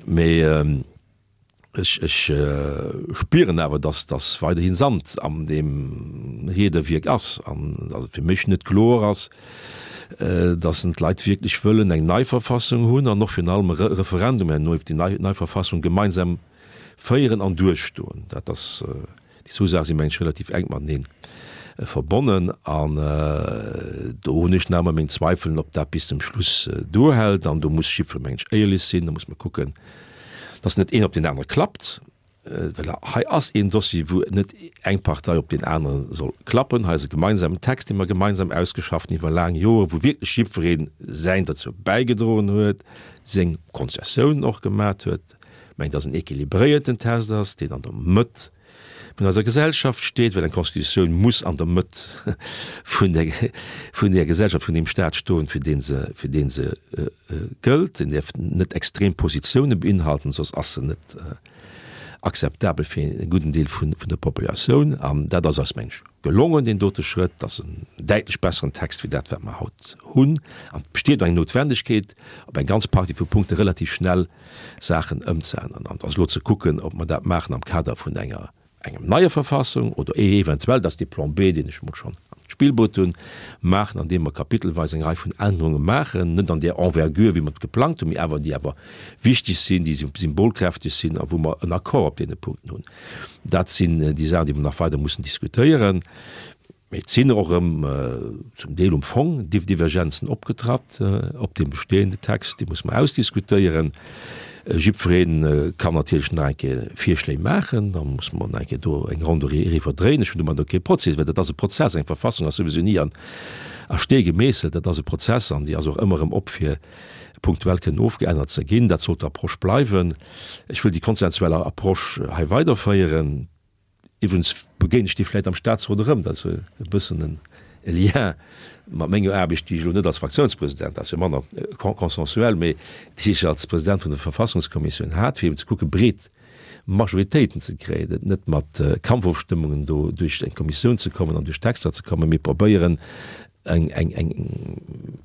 Mee Ech, ech spieren awer, dass, dass weiderhin Sand an deem Riederwierk ass an dass et fir mech net kloer ass, dass en d'Leit wierklech wëllen eng nei Verfassung hunn an och virun allem e Referendum herno iwwer déi nei, nei Verfassung gemeinsam féieren an duerchstoen. Dat ass. Déi zwou Saache si mengen ech relativ enk matenee verbonnen an do hunn ech nach ëmmer meng Zweifelen, ob dat bis zum Schluss duerhält. An do muss jiddweree mengen ech éierlech sinn, da muss mer kucken, datt net een op deen anere klappt, well hei ass een Dossier, wou net eng Partei op deen anere soll klappen. Hei ass e gemeinsamen Text, dee mer gemeinsam ausgeschafft hunn iwwer laang Joren, wou wierklech jiddweree säin derzou bäigedroen huet, seng Konzessiounen och gemat huet. Mengt, dass en équilibréierten Test ass, deen an der Mëtt vun eiser Gesellschaft steet, well eng Constitutioun muss an der Mëtt vun der, vun der Gesellschaft, vun deem Stat stoen, fir dee se, fir dee se gëllt. En däerf net extrem Positioune beinhalten, soss ass se net akzeptabel fir e gudden Deel vun, vun der Populatioun. An dat ass eis, meng ech, gelongen, deen dote Schrëtt. Dat ass en däitlech besseren Text wéi dat, wat mer haut hunn. An et besteet och eng Noutwendegkeet, op eng ganz Partie vu Punkte relativ schnell Saachen ëmzeänneren. An et ass elo ze kucken, ob mer dat maachen am Kader vun enger engem neier Verfassung oder eventuell, dat ass dee Plan B, deen ech emol schonn an d'Spill bruet hunn, maachen, andeem mer kapitelweis eng Rei vun Ännerunge maachen, net an där Envergure, wéi mer et geplangt hunn, mee awer déi awer wichteg sinn, déi symbolkräfteg sinn a wou mer en Accord op deene Punkten hunn. Dat sinn déi Saachen, déi mer nach weider mussen diskutéieren. Mee et sinn och erëm zum Deel um Fong Divergenzen opgetratt op deem bestehende Text. Déi muss mer ausdiskutéieren. Jiddweree kann natierlech nach eng Kéier Virschléi maachen. Da muss mer nach eng Kéier do eng Ronn doriwwer dréinen. Ech hunn domadder kee Prozess, well dat ass e Prozess. Eng Verfassung ass souwisou ni an a Stee gemeesselt. Dat ass e Prozess an déi ass och ëmmer erëm op fir punktuell kënnen ofgeännert ze ginn. Dat sollt d'Approche bleiwen. Ech wëll déi konsensuell Approche hei weiderféieren. Iwwregens begéint ech déi vläit am Staatsrot erëm, dat ass e bëssen e Lien mat menger Aarbecht, déi ech elo net als Fraktiounspresident, dat ass jo manner consensuel, mee déi ech als President vun der Verfassungskommissioun hat, fir eben ze kucke breet Majoritéiten ze kréien, et net mat Kampfofstëmmungen do duerch eng Kommissioun ze kommen an duerch Texter ze kommen, mee probéieren eng, eng, eng,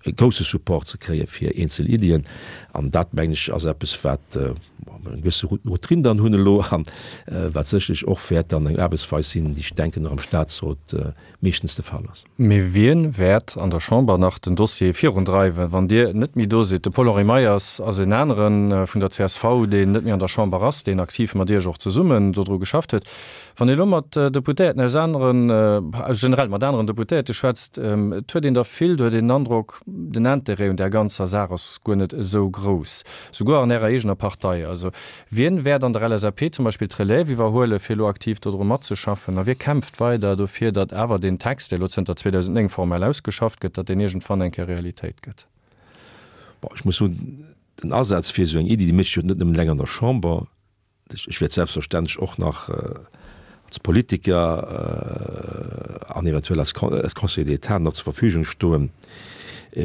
e grousse Support ze kréie fir eenzel Iddien. An dat, mengen ech, ass eppes, wat mer eng gewësse Routine dann hunn elo an wat sécherlech och wäert dann eng Aarbechtsweis sinn, déi ech denken och am Statsrot meeschtens de Fall ass. Mee wien wäert an der Chamber nach den Dossier virundreiwen, wann Dir net méi do sidd? De Paul-Henri Meyers ass en anere vun der csv, deen net méi an der Chamber ass, deen aktiv mat Iech och zesummen dodru geschafft huet. Wann ee lo mat Deputéierten aus aneren, generell mat aneren Deputéierte schwätzt, et huet een der vill, do huet een den Androck, den Intérêt un där ganzer Saach ass guer net esou grouss, souguer an Ärer eegener Partei. Also wien wäert an der LSAP zum Beispill d'Relève iwwerhuelen, fir elo aktiv dodru matzeschaffen? A wie kämpft weider dofir, datt awer deen Text, dee lo zënter 2009 formell ausgeschafft gëtt, datt deen iergendwann eng Kéier Realitéit gëtt? Bon, ech muss soen, den Asaz fir esou eng Iddi, déi mécht sech jo net nëmmen eleng an der Chamber. Ech wäert selbstverständlech och nach als Politiker an eventuell als Conseiller d'État nach zur Verfügung stoen,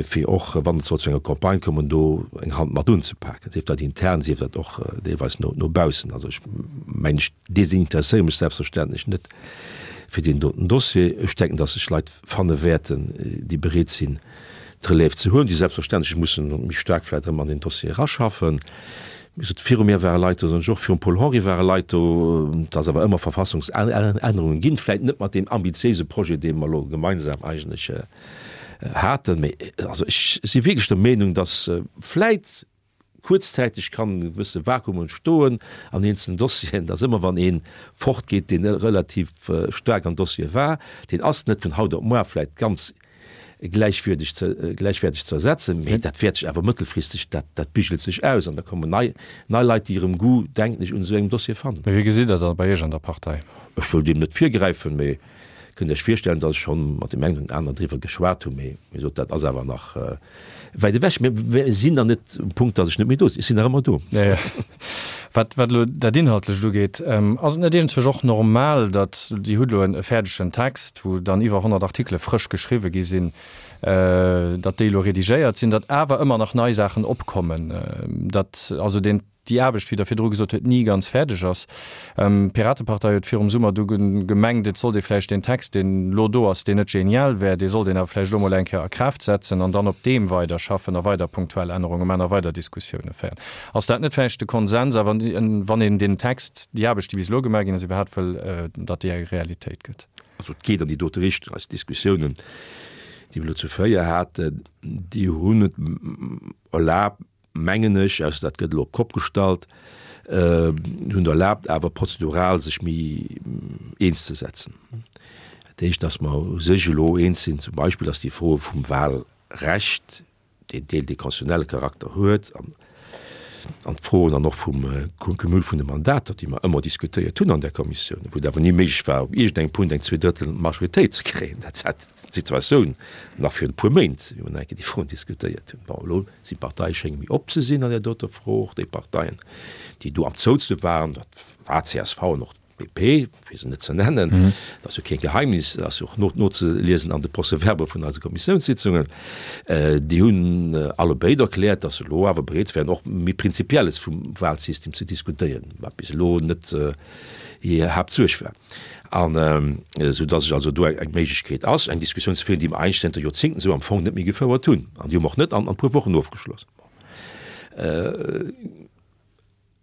fir och, wann et sollt zu enger Campagne kommen, do eng Hand mat unzepaken, sief dat intern, sief dat och deelweis no baussen. Also ech mengen, ech desinteresséiere mech selbstverständlech net fir deen doten Dossier. Ech denken, dass sech Leit fanne wäerten, déi bereet sinn, d'Relève ze huelen, déi selbstverständlech mussen méi staark vläicht erëm an deen Dossier eraschaffen. Wéi gesot, viru mir ware Leit do, soen ech och, virum Paul-Henri ware Leit do, et ass awer ëmmer Verfassungsännerungen ginn, vläicht net mat deem ambitiéise Projet, dee mer elo gemeinsam eigentlech haten. Mee also ech si wierklech der Meenung, datt vläicht kuerzzäiteg kann e gewësse Vakuum entstoen an eenzelen Dossieren, datt ëmmer wann ee fortgeet, deen relativ staark am Dossier war, deen ass net vun haut op muar vläicht ganz gläichwürdeg ze, gläichwäerteg ze ersetzen, mee dat wäert sech awer mëttelfristeg, dat, dat bigelt sech aus an da kommen nei, nei Leit, déi erëm Goût, denken ech, un esou engem Dossier fannen. Mee wéi gesitt Der dat bei Iech an der Partei? Ech wëll deem net virgräifen, mee. Kënnt Iech virstellen, datt ech schonn mat deem engen oder aneren driwwer geschwat hunn, mee wéi gesot, dat ass awer nach wäit ewech. Mir sinn nach net um Punkt, datt ech net méi do sinn. Ech sinn nach ëmmer do. Jo, jo. Wat, wat elo dat Inhaltlecht ugeet, ass et net iergendzwousch och normal, datt, Dir hutt elo e fäerdegen Text, wou dann iwwer 100 Artikele frësch geschriwwe gi sinn, datt déi elo redigéiert sinn, datt awer ëmmer nach nei Saachen opkommen, datt also deen, déi Aarbecht, wéi Der virdru gesot huet, ni ganz fäerdeg ass. D'Piratepartei huet virum Summer du gemengt, et sollt ee vläicht deen Text, deen elo do ass, deen net genial wär, dee sollt een awer vläicht elo mol eng Kéier a Kraaft setzen an dann op deem weiderschaffen a weider punktuell Ännerunge maachen a weider Diskussioune féieren. Ass dat net vläicht de Konsens, awer wann een deen Text, déi Aarbecht, déi bis elo gemaach ginn ass, iwwerhaapt wëll, datt déi eng Realitéit gëtt? Also et geet an déi dote Richtung. Eis Diskussiounen, déi mer elo zu Fréier haten, déi hunn et erlaabt, mengen ech, ausser dat gëtt elo op d'Kopp gestallt, hunn erlaabt awer prozedural sech méi eens ze setzen. Dat heescht, datt mer u sech elo eens sinn, zum Beispill, datt déi Froe vum Wahlrecht, deen Deel, dee konstitutionelle Charakter huet, an an d'Froen dann och vum Cumul vun de Mandater, déi mer ëmmer diskutéiert hunn an där Kommissioun, wou et awer ni méiglech war, op iergendengem Punkt eng Zweedrëttel-Majoritéit ze kréien. Dat war d'Situatioun nach virun e puer Méint, wéi mer nach eng Kéier déi Froen diskutéiert hunn. Bon, elo sinn d'Parteie schénge méi op ze sinn an där doter Fro, och déi Parteien, déi do am zoutste waren, dat war csv an och DP, fir se net ze nennen, dat ass jo keen Geheimnis, dat ass jo och nozeliesen an de Procès-verbaux vun eise Kommissiounssitzungen, déi hunn allebéid erkläert, datt se elo awer bereet wären, och méi Prinzipielles vum Wahlsystem ze diskutéieren, wat bis elo net hir Haaptsuerg war. An esou datt ech also do eng Méiglechkeet ass, eng Diskussioun ze féieren, déi mer eigentlech zënter Joerzéngten esou am Fong net méi gefouert hunn. An déi hu mer och net an e puer Wochen ofgeschloss.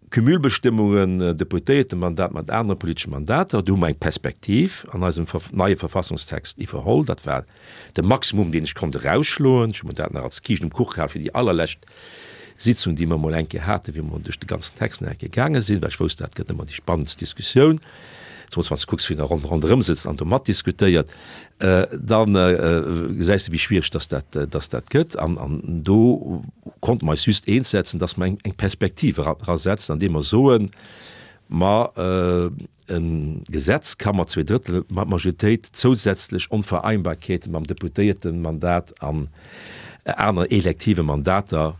Cumulbestëmmungen, Deputéiertemandat mat anere politesche Mandater, do hu mer eng Perspektiv an eisem neie Verfassungstext iwwerholl. Dat war de Maximum, deen ech konnt erausschloen. Ech hu mer dat nach als Kiischt um Kuch gehal fir déi allerlescht Sitzung, déi mer emol eng Kéier haten, wéi mer duerch de ganzen Text nach eng Kéier gaange sinn, well ech wousst, dat gëtt ëmmer déi spannendst Diskussioun. Zemools wann s de kucks, wien da ronderëm sëtzt an do matdiskutéiert, da gesäis de, wéi schwiereg dass dat, dass dat gëtt. An, an do konnte mer eis just eens setzen, dass mer eng, eng Perspektiv erasetzen, andeem mer soen, ma e Gesetz ka mat Zweedrëttelmajoritéit zousätzlech Onvereinbarkeete mam Deputéiertemandat an aneren elektive Mandater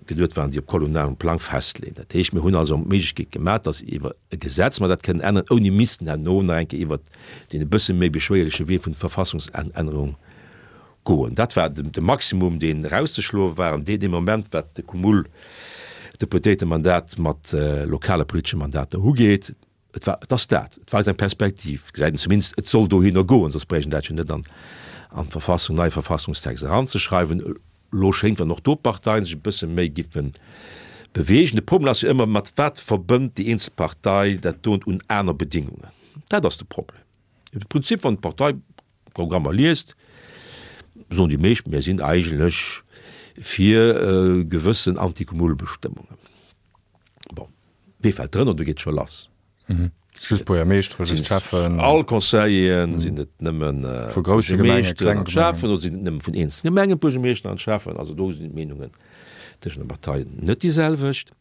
geduet waren, déi op kommunalem Plang festleeën. Dat heescht, mir hunn also d'Méiglechkeet gemaach, dass iwwer e Gesetz mer dat kënnen änneren, ouni missten herno nach eng Kéier iwwert deen e bësse méi beschwéierleche Wee vun Verfassungsännerung goen. Dat war de Maximum, deen erauszeschloe war an dee Moment, wat de Cumul Deputéiertemandat mat lokale politesche Mandater ugeet. Et war, et ass dat, et weist eng Perspektiv, gesäit een zumindest, et soll dohinner goen, soss bréicht een dat jo net an an d'Verfassung, neie Verfassungstext eranzeschreiwen. Elo schéngt, wann och do d'Parteien sech e bësse méi giffe beweegen. De Problem ass jo ëmmer, mat wat verbënnt déi eenzel Partei dat dont un aner Bedingungen? Dat ass de Problem. Im Prinzip, wann d'Parteiprogrammer liest, soen déi meescht, mir sinn eigentlech fir gewëssen Anticumulbestëmmungen. Bon, wee fält drënner? Do geet et scho lass. Mhm. Just Buergermeeschteren, just Schäffen. All Conseilleren, sinn et nëmmen Vu grousse Gemengen, klenge Gemengen. Schäffen oder sinn et nëmme vun eenzele Gemengen d'Buergermeeschter an d'Schäffen? Also do sinn d'Meenungen tëschent de Parteien net déi selwecht.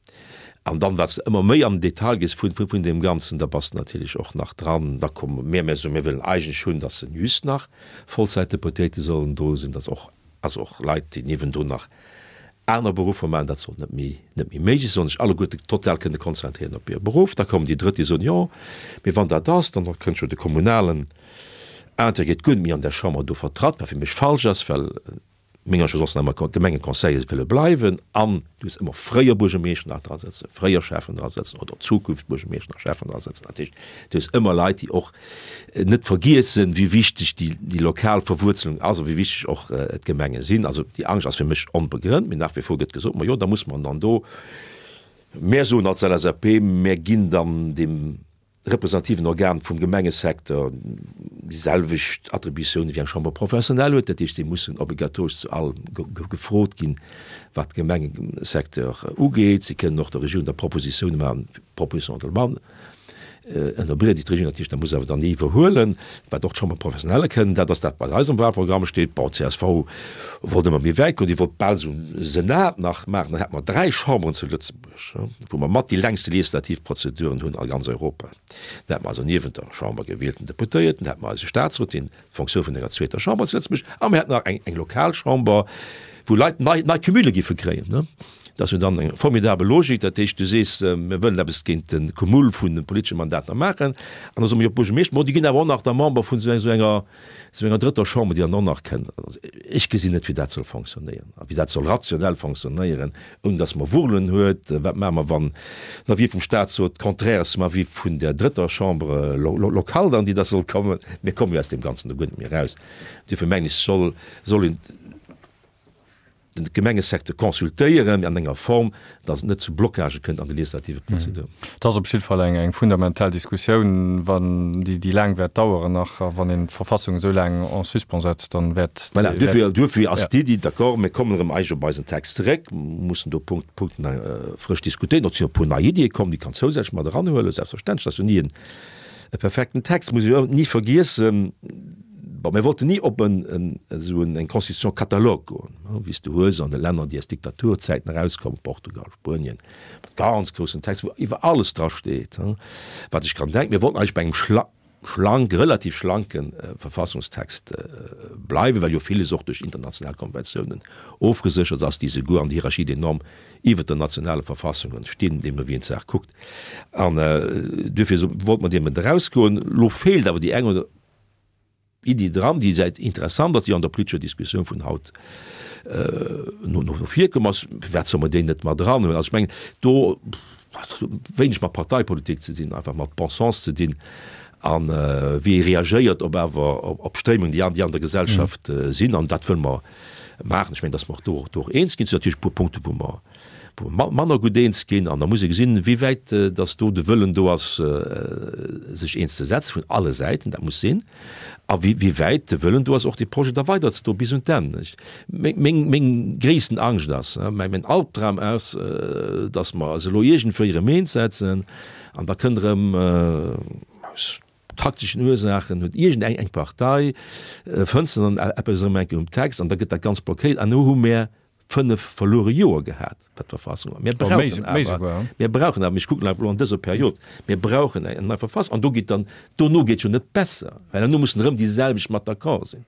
An dann, wat s de ëmmer méi an den Detail gees vun, vun deem Ganzen, da bass de natierlech och nach dran. Da komme mir, mir soen, mir wëllen eigentlech hunn, datt se just nach Vollzäitdeputéite sollen do sinn, datt och, also och Leit, déi niewendrun nach aner Beruffer maachen, dat soll net méi, net méi méiglech sinn, sollen sech alleguerte total kënne konzentréieren op hire Beruff. Da kommen déi Drëtt, déi soen, jo, mee wann dat ass, dann kënnt jo de kommunalen Intérêt guer net méi an där Chamber do vertratt, wat fir mech falsch ass, well menger Ansicht no sollten ëmmer Gemengeconseiller wëlle bleiwen an du hues ëmmer fréier Buergermeeschter nach dra sëtzen, fréier Schäffen dra sëtzen oder Zukunft Buergermeeschter a Schäffen dra sëtzen. Dat heescht, du hues ëmmer Leit, déi och net vergiessen, wéi wichteg déi lokal Verwuerzelung ass a wéi wichteg och d'Gemenge sinn. Also déi Angscht ass fir mech onbegrënnt, mee nach wie vor gëtt gesot, ma jo, da muss mer dann do, mär soen als LSAP, mär ginn dann deem representativen Organ vum Gemengesecteur déi selwecht Attributiounen, wéi eng Chambre professionnelle huet. Dat heescht, si mussen obligatoresch zu allem gefrot ginn, wat de Gemengesecteur ugeet. Si kënnen och der Regierung da Propositiounen maachen, Propositions de loi. Ënnerbriede déi d'Regierung natierlech da muss awer dann iwwerhuelen, wat och d'Chambre professionnelle kënnen. Dat ass dat, wat eis am Wahlprogramm steet. Bon, csv wollt ëmmer méi wäit goen, déi wollt bal esou e Senat nach maachen. Dann hätte mer 3 Chamberen zu Lëtzebuerg, wou mer mat déi längste legislativ Prozeduren hunn a ganz Europa. Dann hätte mer also niewent der Chamber gewielten Deputéierten, hätte mer eise Statsrot, deen d'Fonctioun vun enger zweeter Chamber zu Lëtzebuerg, a mir hätten nach eng, eng lokal Chamber, wou Leit nei, nei Cumule giffe kréien. Ne? Dat ass jo dann eng formidabel Logik. Dat heescht, du sees, mir wëllen eppes géint de Cumul vun de politesche Mandater maachen, an da soe mir jo d'Buergermeeschter, bon, déi ginn awer och nach da Member vun esou enger, esou enger drëtter Chamber, déi dann och nach kënnt. Also, ech gesinn net, wéi dat soll fonctionnéieren a wéi dat soll rationell fonctionnéieren, ouni datt mer Wurlen huet. Wat maache mer, wann den Avis vum Statsrot contraire ass zum Avis vun der drëtter Chambre locale dann, déi da soll kommen? Mir komme jo aus deem Ganzen do guer net méi eraus. Duerfir mengen ech, soll, soll een de Gemengesecteur consultéieren an enger Form, datt et net zu Blocagë kënnt an de legislative Prozeduren. Et ass op jidde Fall eng eng fundamental Diskussioun, wann déi déi laang wäert daueren nach. A wann een d'Verfassung esou laang en suspens setzt, dann wäert. Voilà, duerfir, duerfir ass d'Iddi, d'accord, mir kommen erëm eigentlech op eisen Text zeréck, mussen do Punkt, Punkten frësch diskutéieren. Och sinn e puer nei Iddie komm, déi kann zousätzlech mat eranhuelen, selbstverständlech. Dat ass jo ni en e perfekten Text, muss ee jo ni vergiessen. Bon, mir wollten ni op en, en, esou en, eng Constitution catalogue goen, wéi s de hues an de Länner, déi aus Diktaturzäiten erauskommen, Portugal, Spuenien, mat ganz groussen Text, wou iwwer alles dra steet, wat ech kann denken. Mir wollten eigentlech bei engem schla schlank, relativ schlanke Verfassungstext bleiwen, well jo villes och duerch international Konventiounen ofgeséchert ass, déi souguer an der Hierarchie des normes iwwert den nationale Verfassungen stinn, deemno wéi een d'Saach kuckt. An duerfir wollte mer deem erausgoen. Elo feelt awer déi eng oder Iddi dran, déi säit interessant ass, déi an der politescher Diskussioun vun haut no no virkomm ass. Firwat soll mer déi net mat eran huelen? Also ech mengen, do hat wéineg mat Parteipolitik ze dinn, einfach mat Bon sens ze dinn a wéi ee reagéiert op awer op Stréimungen, déi an déi an der Gesellschaft sinn. An dat wëlle mer maachen. Ech mengen, datt mer och do do och eens ginn. Et sinn natierlech e puer Punkte wou mer wou mer manner gutt eens ginn. An da muss ee gesinn, wéi wäit datt do de Wëllen do ass, sech eens ze setzen, vun alle Säiten, dat muss sinn, a wéi wéi wäit de Wëllen do ass, och dee Projet da weiderzedroen bis un d'Enn. Meng, meng, meng gréissten Angscht ass, mäi, mäin Albdram ass, datt mer eis elo iergendwéi erëm eens setzen an da kënnt erëm aus takteschen Ursaachen huet iergend eng eng Partei fënnt se dann eppes erëm eng Kéier um Text an da gëtt dat Ganzt blockéiert an elo hu mär 5 verluere Joer gehat, wat d'Verfassung ugeet. Mir brauchen awer, mir brauchen awer, ech kucken einfach elo an dëser Period, mir brauchen eng nei Verfassung an do geet dann, dono geet jo net besser, well herno mussen erëm déi selwecht mat d'accord sinn.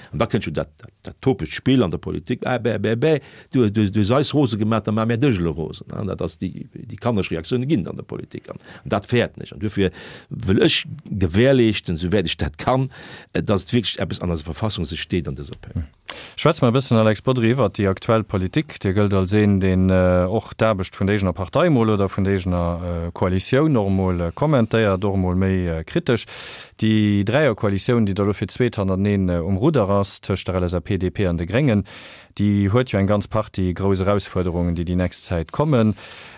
An da kënnt jo dat, dat, dat topegt Spill an der Politik, ah bäh, bäh, bäh, du, du, du hues eis rose gemaach, da maache mär dech elo rosen. Dat ass déi, déi kannereg Reaktioune ginn et an der Politik an dat fäerten ech. An duerfir wëll ech gewährleeschten, souwäit ech dat kann, dass et wierklech eppes an eiser Verfassung sech steet an dëser Period. Schwätze mer e bëssen, Alex Bodry, iwwert déi aktuell Politik. Dir gëllt als een, deen och d'Aarbecht vun der eegener Partei emol oder vun der eegener Koalitioun och emol kommentéiert, och emol méi kritesch. Déi Dräierkoalitioun, déi da lo fir d'zweet hannerteneen um Rudder ass, tëscht der LSAP, DP an de Gréngen, déi huet jo eng ganz Partie grouss Erausfuerderungen, déi déi nächst Zäit kommen.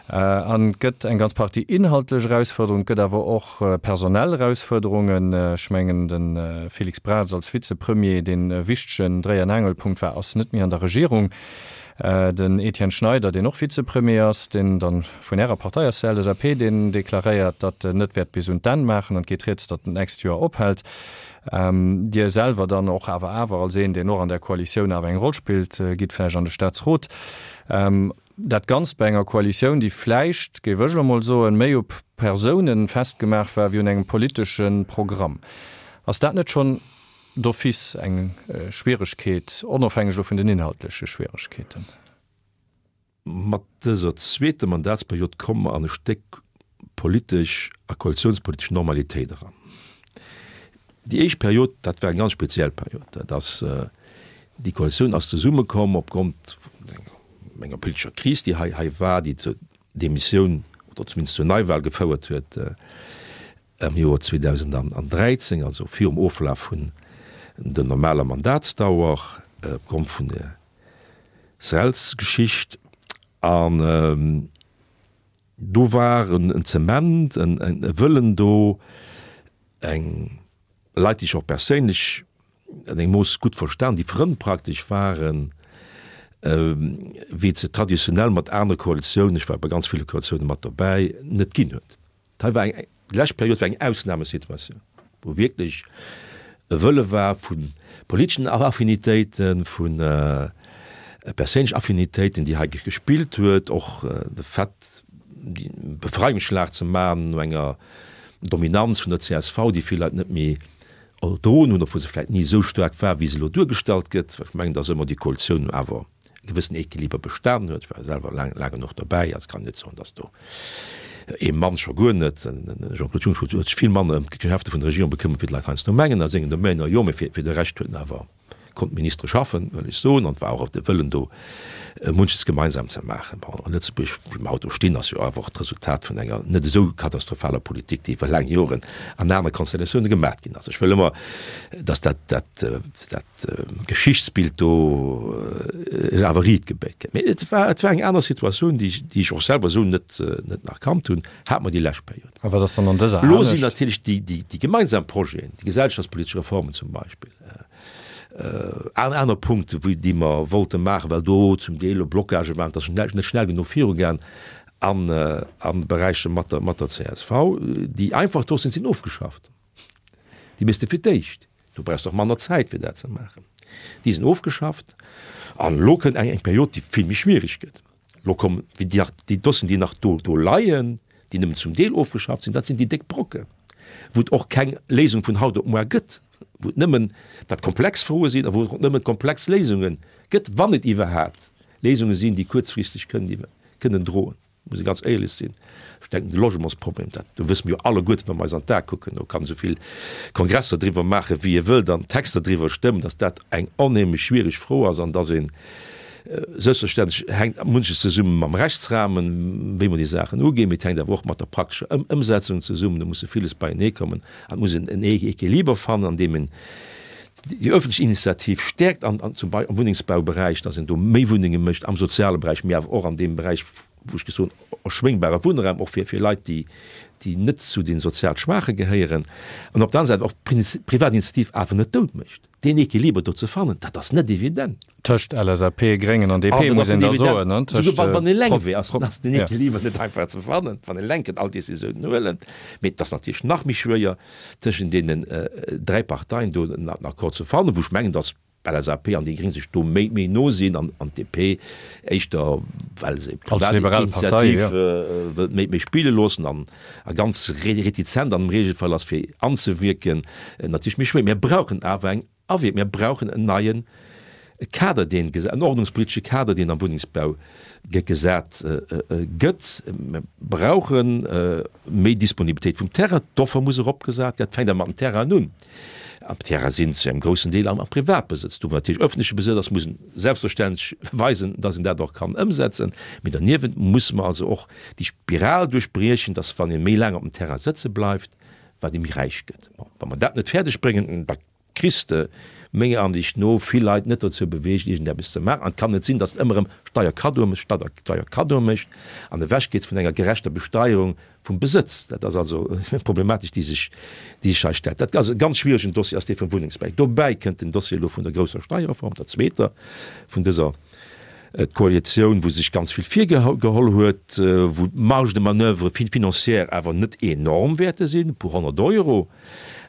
An et gëtt eng ganz Partie inhaltlech Erausfuerderungen, et gëtt awer och personell Erausfuerderungen. Ech mengen, de Félix Braz als Vizepremier, deen e wichtegen Dréi an Aangelpunkt war, ass net méi an der Regierung. Den Etienne Schneider, deen och Vizepremier ass, deen dann vun Ärer Partei ass, der LSAP, deen deklaréiert, datt en net wäert bis un d'Enn maachen an et geet rieds, datt en d'nächst Joer ophält. Dir selwer dann och awer awer als een, deen och an där Koalitioun awer eng Roll spillt, gitt vläicht an de Staatsrot. Dat Ganzt bei enger Koalitioun, déi vläicht, géif ech elo mol soen, méi op Persounen festgemaach war wéi un engem politesche Programm. Ass dat net schonn d'office eng Schwieregkeet, onofhängeg elo vun den inhaltleche Schwieregkeeten? Mat dëser zweeter Mandatsperiod komme mer an e Stéck politesch a koalitiounspolitesch Normalitéit eran. Déi éischt Period, dat war eng ganz speziell Period. Dat ass, déi Koalitioun ass zesummekomm opgrond vun enger politescher Kris, déi hei hei war, déi zur Demissioun oder zumindest zur Neiwahl gefouert huet am Joer 2013, also virum Oflaf vun der normaler Mandatsdauer, opgrond vun der Srels-Geschicht. An do war en Zement, e Wëllen do, eng Leit, déi ech och perséinlech an engem Mooss gutt verstan, déi Frënn praktesch waren, wéi et se traditionell mat anere Koalitiounen, ech war bei ganz ville Koalitiounen mat dobäi, net ginn huet. Hei war eng. Déi lescht Period war eng Ausnamesituatioun, wou wierklech e Wëlle war vu politeschen Affinitéiten, vu perséinlechen Affinitéiten, déi hei gespillt huet, och de Fait, e Befreiungsschlag ze maachen no enger Dominanz vun der csv, déi vill Leit net méi erdroen hunn, obwuel se vläicht ni esou staark war, wéi se elo duergestallt gëtt. Ech mengen, datt ëmmer déi Koalitioun awer e gewëssen Equiliber bestanen huet. Ech war selwer laang, laang genuch derbäi, also kann net soen, datt do ee Mann, scho guer net, den Jean-Claude Juncker huet sech vill manner ëm d'Geschäfte vun der Regierung bekëmmert, wéi d'Leit heiansdo mengen a sengen Domainer, jo, mee fir, fir de Rescht huet en awer konnt d'Ministere schaffen, wëll ech soen, an et war och de Wëllen do, munches gemeinsam ze maachen. Bon, a Lëtzebuerg, wéi mer haut do stinn, ass jo awer och d'Resultat vun enger net esou katastrophaler Politik, déi iwwer laang Joren an anere Konstellatioune gemaat ginn ass. Ech wëll ëmmer, datt dat, dat, dat Geschichtsbild do awer riit gebéit gëtt. Mee et war, et war eng aner Situatioun, déi, déi ech och selwer esou net, net nach kannt hunn, hat mer déi lescht Period. A wat ass dann an dëser anescht? Elo sinn natierlech déi, déi, déi gemeinsam Projeten, déi gesellschaftspolitesch Reformen zum Beispill, an aner Punkte wou, déi mer wollte maachen, well do zum Deel elo Blocagë waren, et ass net schnell genuch virugaang an, a Beräicher mat der, mat der csv, déi einfach Dossieren sinn ofgeschafft. Déi méchs de fir d'éischt. Du brauchs och manner Zäit fir dat ze maachen. Déi sinn ofgeschafft an elo kënnt eng Period, déi vill méi schwierig gëtt. Elo kommen déi nach, déi Dossieren, déi nach do, do leien, déi nëmmen zum Deel ofgeschafft sinn, dat sinn déi déck Brocken, wou et och keng Léisung vun haut op muar gëtt, wou et nëmmen, wat komplex Froe sinn a wou et och nëmmen komplex Léisunge gëtt, wann et iwwerhaapt Léisunge sinn, déi kuerzfristeg kënnen, kënnen droen. Muss ee ganz éierlech sinn, ech denken de Logementsproblem, dat do wësse mir jo alleguerten, wa mer eis an d'Ae kucken, do kann esou vill Kongresser driwwer maachen, wéi ee wëllt an Texter driwwer stëmmen, datt dat eng onheemlech schwiereg Fro ass an datt een, selbstverständlech hänkt munches zesumme mam Rechtsrahmen, wéi mer déi Saachen uginn, mee et hänkt awer och mat der praktescher Ëmsetzung zesummen, do musse villes beienee kommen an et muss een en Equiliber fannen, an deem een déi öffentlech Initiativ stäerkt an, an zum Beispill am Wunnengsbauberäich, dass een do méi Wunnenge mécht, am soziale Beräich, mee awer och an deem Beräich, wou ech gesot hunn, erschwéngbare Wunnraum, och fir, fir Leit, déi, déi net zu de sozial Schwaache gehéieren, an op der aner Säit och d'Privatinitiativ awer net dout mécht. Deen Equiliber do ze fannen, dat ass net evident. Tëscht LSAP, Gréngen an DP, muss een da soen, ne? Tëscht. Souguer wann een eleng wier, ass den Equiliber net einfach ze fannen, wann een eleng kënnt all Décisiounen huelen. Mee et ass natierlech nach méi schwéier, tëschent deenen 3 Parteien do en Accord ze fannen, wou ech mengen, datt d'LSAP an déi Gréng sech do méi méi no sinn an an d'DP éischter, well se privat Initiativ wëllt méi méi spille loossen an a ganz retizent an dem Regelfall ass fir anzewierken, natierlech méi schwéier. Mir brauchen awer eng Awierk. Mir brauchen en neien Kader, deen, en ordnungspolitesche Kader, deen am Wunnengsbau gesat gëtt. Mir brauche méi Disponibilitéit vum Terrain. D'Offer muss eropgesat ginn. Dat fänkt awer mat den Terrainen un. An d'Terraine sinn zu engem groussen Deel am Privatbesëtz. Do, wou natierlech öffentleche Besëtz ass, muss een selbstverständlech weisen, dass een dat och kann ëmsetzen. Mee derniewent musse mer also och déi Spiral duerchbriechen, dass, wann ee méi laang op dem Terrain sëtze bleift, wat ee méi räich gëtt. Bon, wa mer dat net fäerdeg bréngen, da kriss de menger Ansicht no vill Leit net dozou beweegt iergendeppes ze maachen. An et kann net sinn, datt s de ëmmer erëm Steierkaddoe méchs, Steierkaddoe méchs an ewech gees vun enger gerechter Besteierung vum Besëtz. Dat ass also eng Problematik, déi sech, déi sech hei stellt. Dat ass e ganz schwieregen Dossier, ass dee vum Wunnengsbau. Dobäi kënnt den Dossier elo vun der grousser Steierreform, der zweeter vun dëser Koalitioun, wou sech ganz vill virgeholl huet, wou d'Marge de manoeuvre financière awer net enorm wäerte sinn, e puer 100 Euro.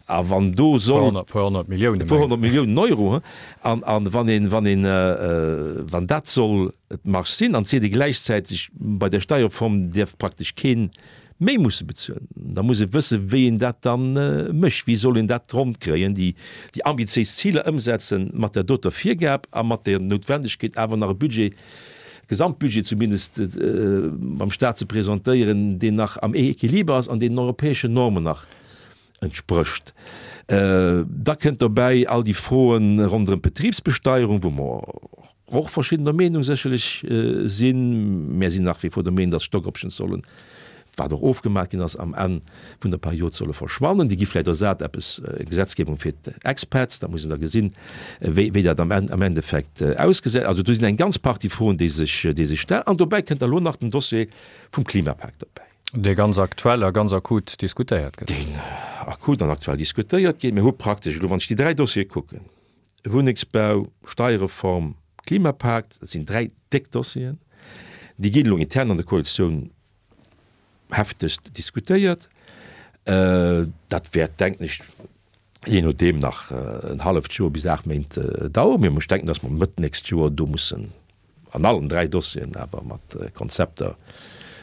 A wann do soll. E puer 100 Milliounen. E puer 100 Milliounen Euro. An, an wann een, wann een, wann dat soll d'Marge sinn, an et seet ee gläichzäiteg, bei der Steierreform däerf praktesch keen méi musse bezuelen, da muss ee wëssen, wéi een dat da mécht. Wéi soll een dat ronn kréien, déi, déi ambitiéis Ziler ëmsetzen mat där doter Virgab a mat der Noutwendegkeet awer nach e Budget, Gesamtbudget zumindest beim Stat ze presentéieren, deen nach am Equiliber ass an deen den europäeschen Normen nach entsprécht. Da kënnt dobäi all déi Froen ronderëm d'Betribsbesteierung, wou mer och verschiddener Meenung sécherlech sinn. Mär sinn nach wie vor der Meenung, dass Stock Options sollen, wat och ofgemaach ginn ass, am Enn vun der Period solle verschwannen. Déi gi vläicht ersat eppes Gesetzgebung fir d'Expats, da muss een da gesinn, wéi wéi dat am Enn am Endeffekt ausgesäit. Also do sinn eng ganz Partie Froen, déi sech déi sech stellen. An dobäi kënnt da lo nach den Dossier vum Klimapak dobäi. Dee ganz aktuell a ganz akut diskutéiert gëtt. Deen akut an aktuell diskutéiert gétt. Mir hu praktesch elo, wann ech déi 3 Dossiere kucken, Wunnengsbau, Steierreform, Klimapakt, dat sinn 3 déck Dossieren, déi ginn elo intern an der Koalitioun heftegst diskutéiert. Dat wäert, denken ech, jee nodeem nach en halleft Joer bis 8 Méint daueren. Mee ech denken, datt mer Mëtt d'nächst Joer do mussen an allen 3 Dossieren awer mat Konzepter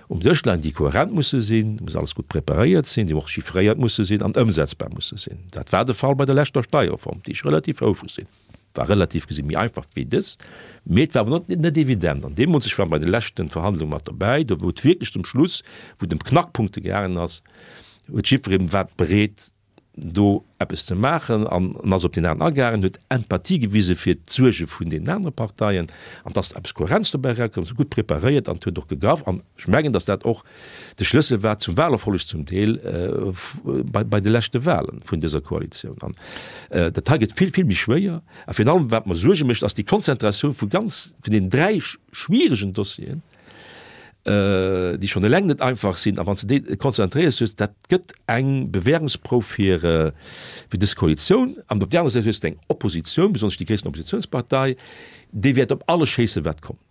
um Dësch leien, déi kohärent musse sinn, muss alles gutt preparéiert sinn, déi och chiffréiert musse sinn an ëmsetzbar musse sinn. Dat war de Fall bei der leschter Steierreform, déi ech relativ houfreg sinn. War relativ gesi méi einfach wéi dës, mee et war awer net evident. An deemools, ech war bei de leschte Verhandlunge mat dobäi, do wou et wierklech zum Schluss, wou et ëm Knackpunkte gaangen ass, huet jiddweree war bereet, do eppes ze maachen an ass op deen aneren agaangen, huet Empathie gewise fir d'Suerge vun deenen anere Parteien an dass eppes Kohärenz dobäi erauskoum, ass gutt preparéiert an huet och gegraff. An ech mengen, dass dat och de Schlëssel war zum Wahlerfolleg zum Deel bei de leschte Wahlen vun dëser Koalitioun. An dat hei gëtt vill, vill méi schwéier. A virun allem, wat mer Suerge mécht, ass déi Konzentratioun vu ganz, vun deenen dräi schwierigen Dossieren, déi schonn eleng net einfach sinn. A wann s de déi konzentréiers hues, dat gëtt eng Bewährungsprouf fir, fir dës Koalitioun. An op där anerer Säit hues de eng Oppositioun, besonnesch déi gréissten Oppositionspartei, déi wäert op alles schéissen, wat kommt.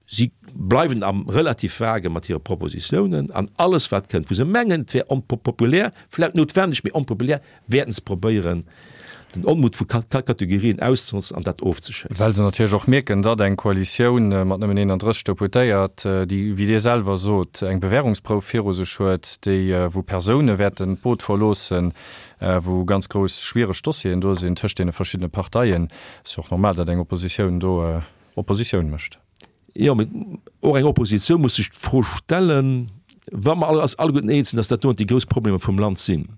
Si bleiwen am relativ vage mat hire Propositiounen an alles wat kënnt, wou se mengen, et wär onpopulär, vläicht noutwendeg, mee onpopulär, wäerten se probéieren, den Onmut vu Kategorien auszenotzen an dat ofzeschéissen. Well se natierlech och mierken, datt eng Koalitioun mat nëmmen 31 Deputéiert, déi, wéi Dir selwer sot, eng Bewährungsprouf viru sech huet, déi, wou Persoune wäerten d'Boot verloossen, wou ganz grouss schwiereg Dossieren do sinn tëscht deene verschiddene Parteien, ass jo och normal, datt eng Oppositioun do Oppositioun mécht. Jo, mee och eng Oppositioun muss sech d'Fro stellen, wa mer eis alleguerten eens sinn, dass dat doen déi grouss Problemer vum Land sinn,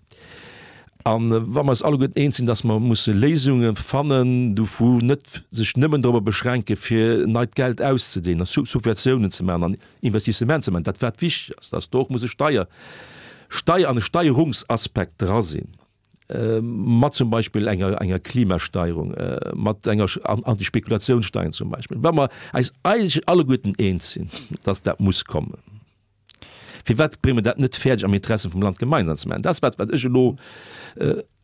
a wa mer eis alleguerten eens sinn, dass mer musse Léisunge fannen, dovu net sech nëmmen dorobber beschränke fir neit Geld auszedeelen a Subventiounen ze maachen an Investissement ze maachen, dat wat wichteg ass, dass do och muss e Steier, Steier an e Steierungsaspekt dra sinn. mat zum Beispill enger, enger Klimasteierung, mat enger Antispekulationssteier zum Beispill, wa mer eis eigentlech alleguerten eens sinn, dass dat muss kommen, firwat brénge mer dat net fäerdeg am Interesse vum Land gemeinsam ze maachen? Dat ass wat, wat ech elo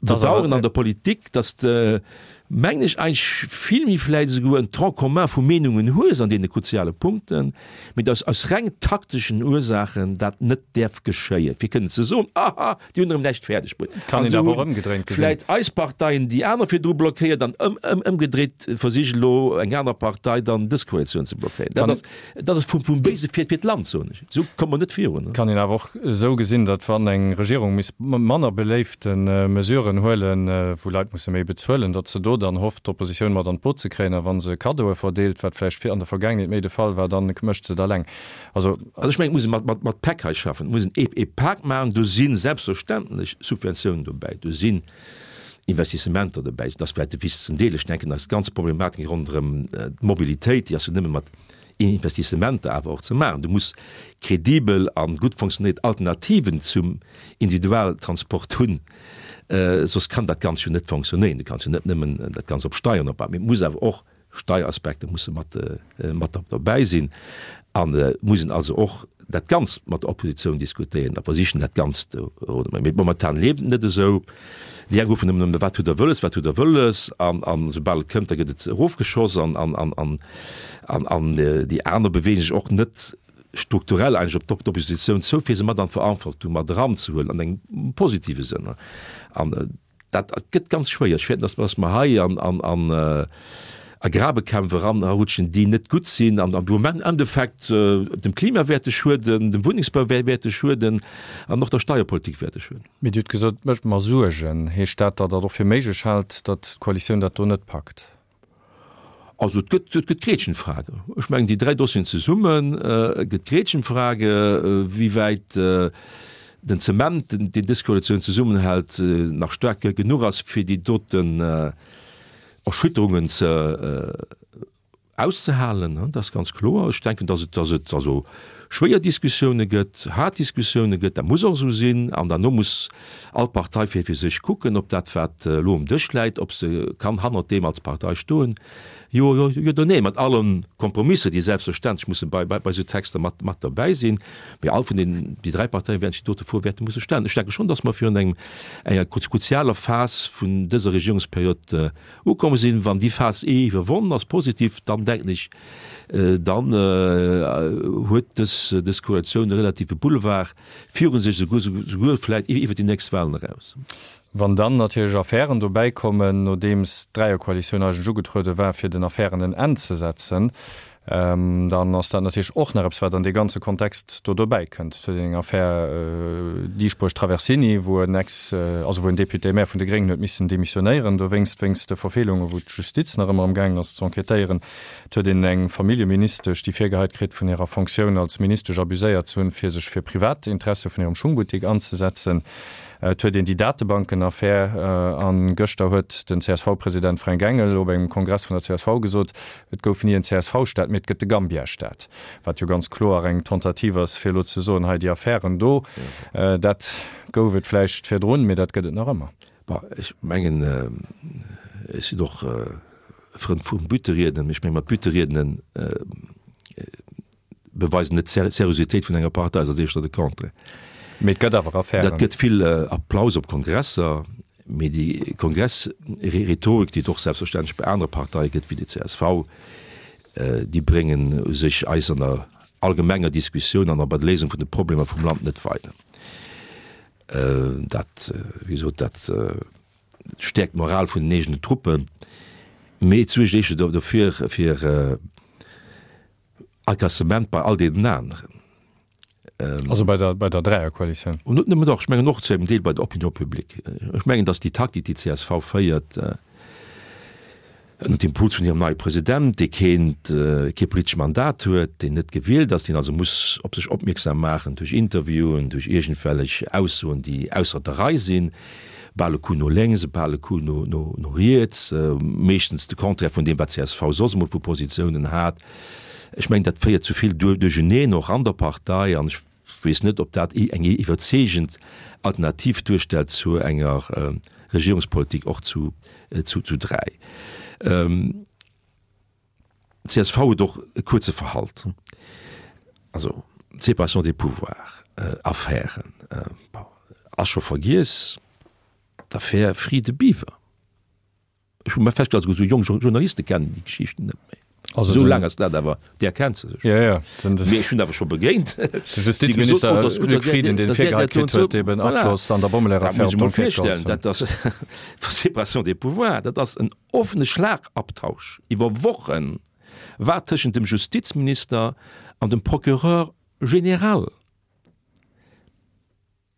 bedauern an der Politik, dass de, mengen ech, eigentlech vill méi vläicht esouguer en Tronc commun vu Meenungen hues an deene kruziale Punkten, mee dass aus reng takteschen Ursaachen dat net däerf geschéien, fir kënnen ze soen, Aha, déi hunn erëm näischt fäerdeg bruet. Kann een awer och ëmgedréint gesinn. Vläicht eis Parteien déi aner virdru blockéiert an ëmgedréit versicht elo eng aner Partei dann dës Koalitioun ze blockéieren. Dat ass, dat ass vum, vum Béise fir, fir d'Land, soen ech. Esou komme mer net virun. Kann een awer och esou gesinn, datt wann eng Regierung misst manner beléifte Mesuren huelen, wou Leit musse méi bezuelen, datt se do dann hofft, d'Oppositioun mat an d'Boot ze kréien. A wa se Kaddoe verdeelt, wat vläicht an der Vergaangenheet méi de Fall war, dann mécht se et alleng. Also, also ech mengen, et muss ee mat, mat, mat Päck hei schaffen. Et muss een ee, ee Pak maachen. Do si selbstverständlech Subventiounen dobäi, do sinn Investissementer dobäi. Dat ass vläicht de wichtegsten Deel. Ech denken, eis ganz Problematik ronderëm d'Mobilitéit, déi ass jo nëmme mat Investissementer awer och ze maachen. Du muss kredibel a gutt fonctionnéiert Alternativen zum Individualtransport hunn, soss kann dat Ganzt jo net fonctionnéieren. Du kanns jo net nëmmen dat Ganzt op Steieren opbauen, mee et muss awer och Steieraspekter musse mat mat derbäi sinn an muss een also och dat Ganzt mat der Oppositioun diskutéieren a versichen dat Ganzt, mee momentan leeft et net esou. Déi eng ruffen nëmmen, wat hutt Der wëlles, wat hutt Der wëlles an an esoubal et kënnt, da gëtt et erofgeschoss an an an an an an déi aner beweegen sech och net strukturell eigentlech op d'Oppositioun zou, fir se mat an d'Verantwortung mat eranzehuelen an engem positive Sënn an Dat gëtt ganz schwéier. Ech fäerten, dass mer hei an a Grabekämpf eranrutschen, déi net gutt sinn an am Endeffekt dem Klima wäerte schueden, dem Wunnengsbau wäerte schueden an och der Steierpolitik wäerte schueden. Mee Dir hutt gesot, et mécht mer Suergen. Heescht dat, datt Der et och fir méiglech haalt, datt d'Koalitioun dat do net packt? Also et gëtt, et gëtt Gretchenfrage. Ech mengen déi dräi Dossieren zesummen, et gëtt Gretchenfrage, wéi wäit den Zement, deen dës Koalitioun zesummenhält, nach staark genuch ass, fir déi doten Erschütterungen ze auszehalen. Dat ass ganz kloer. Ech denken, datt et, datt et also schwéier Diskussioune gëtt, haart Diskussioune gëtt. Dat muss och esou sinn. An derno muss all Partei fir fir sech kucken, ob dat, wat elo um Dësch läit, ob se kann hannert deem als Partei stoen, jo oder nee, mat alle Kompromisser, déi selbstverständlech musse bei bei esou Texter mat mat derbäi sinn. Mee all vun den, déi dräi Parteie wäerten sech déi dote Fro wäerte musse stellen. Ech denke schonn, datt mer virun engem, enger kruzialer Phas vun dëser Regierungsperiod ukomm sinn. Wann déi Phas iwwerwonnen ass, positiv, dann denken ech, dann huet dës. dës Koalitioun e relative Boulevard viru sech, souguer vläicht iwwer déi nächst Wahlen eraus. Wann dann natierlech Affären dobäi kommen, nodeems d'Dräierkoalitioun eigentlech ugetruede war, fir den Affären en Enn ze setzen, dann ass dat natierlech och nach eppes, wat an dee ganze Kontext do dobäi kënnt. Et huet een eng Affär Dieschbourg-Traversini, wou en Ex, also wou en Député-maire vun de Gréngen huet missen demissionéieren dowéinst, wéinst de Verfeelungen, wou d'Justiz nach ëmmer amgaangen ass ze enquêtéieren. Et huet een eng Familljeministesch, déi virgeheit kritt, vun hirer Fonctioun als Ministesch abuséiert ze hunn, fir sech fir privat Interesse vun hirem Schungbuttik anzesetzen. Et huet een déi Datebanken-Affär, a gëschter huet den CSV-President Fränk Engel op engem Kongress vun der csv gesot, et gouf ni en CSV-Staat, mee et gëtt de Gambia-Staat. Wat jo ganz kloer eng Tentative ass, fir elo ze soen, hei déi Affären do, dat gouf et vläicht virdrun, mee dat gëtt et nach ëmmer. Bon, ech mengen, ech sinn och e Frënd vum Bütterieden, mee ech menge mat Bütteriedenen beweisen net d'Seriositéit vun enger Partei, ass éischter de Contraire. Mee et gëtt awer Affären. Dat gëtt vill Applaus op Kongresser, mee déi Kongressrhetorik, déi et och selbstverständlech bei anere Parteie gëtt wéi déi csv, déi bréngen u sech eis an der allgemenger Diskussioun an och bei der Léisung vun de Problemer vum Land net weider. Dat, wéi gesot, dat stäerkt d'Moral vun den eegenen Truppen, mee et suergt éischter dofir, fir Agacement bei all deenen aneren. Also bei der, bei der Dräierkoalitioun? Net nëmmen, dach, ech mengen och zu engem Deel bei der Opinion publique. Ech mengen, datt déi Taktik, déi d'CSV féiert, ënner dem Impuls vun hirem neie President, dee keent, kee politescht Mandat huet, deen net gewielt ass, deen also muss op sech opmierksam maachen duerch Interviewen, duerch iergendwellech Aussoen, déi ausser der Rei sinn, bal e Coup no lénks, bal e Coup no, no, no riets, meeschtens de Contraire vun deem, wat csv soss emol vu Positiounen hat. Ech mengen, dat féiert zu vill Duercherneen och an der Partei an ech weess net, ob dat eng iwwerzeegend Alternativ duerstellt zu enger Regierungspolitik och zu, zu, zu 3. Csv huet och e kuerze Verhalt, also d'Séparation des pouvoirs, Affären, bon, ass scho vergiess, d'Affär Friede-Biwer. Ech hu mer festgestallt, esouguer esou jonk Journaliste kennen déi Geschichten net méi. Also esou laang ass dat awer, där kennt se sech. Ja, ja. Mee ech hunn awer scho begéint. De Justizminister Luc Frieden, deen virgeheit kritt huet, eben Afloss an der Bommeleeër-Affär op d'Enquête geholl ze hunn. Dat ass Séparation des pouvoirs, dat ass en offene Schlagabtausch iwwer Wochen war tëschent dem Justizminister an dem Procureur général.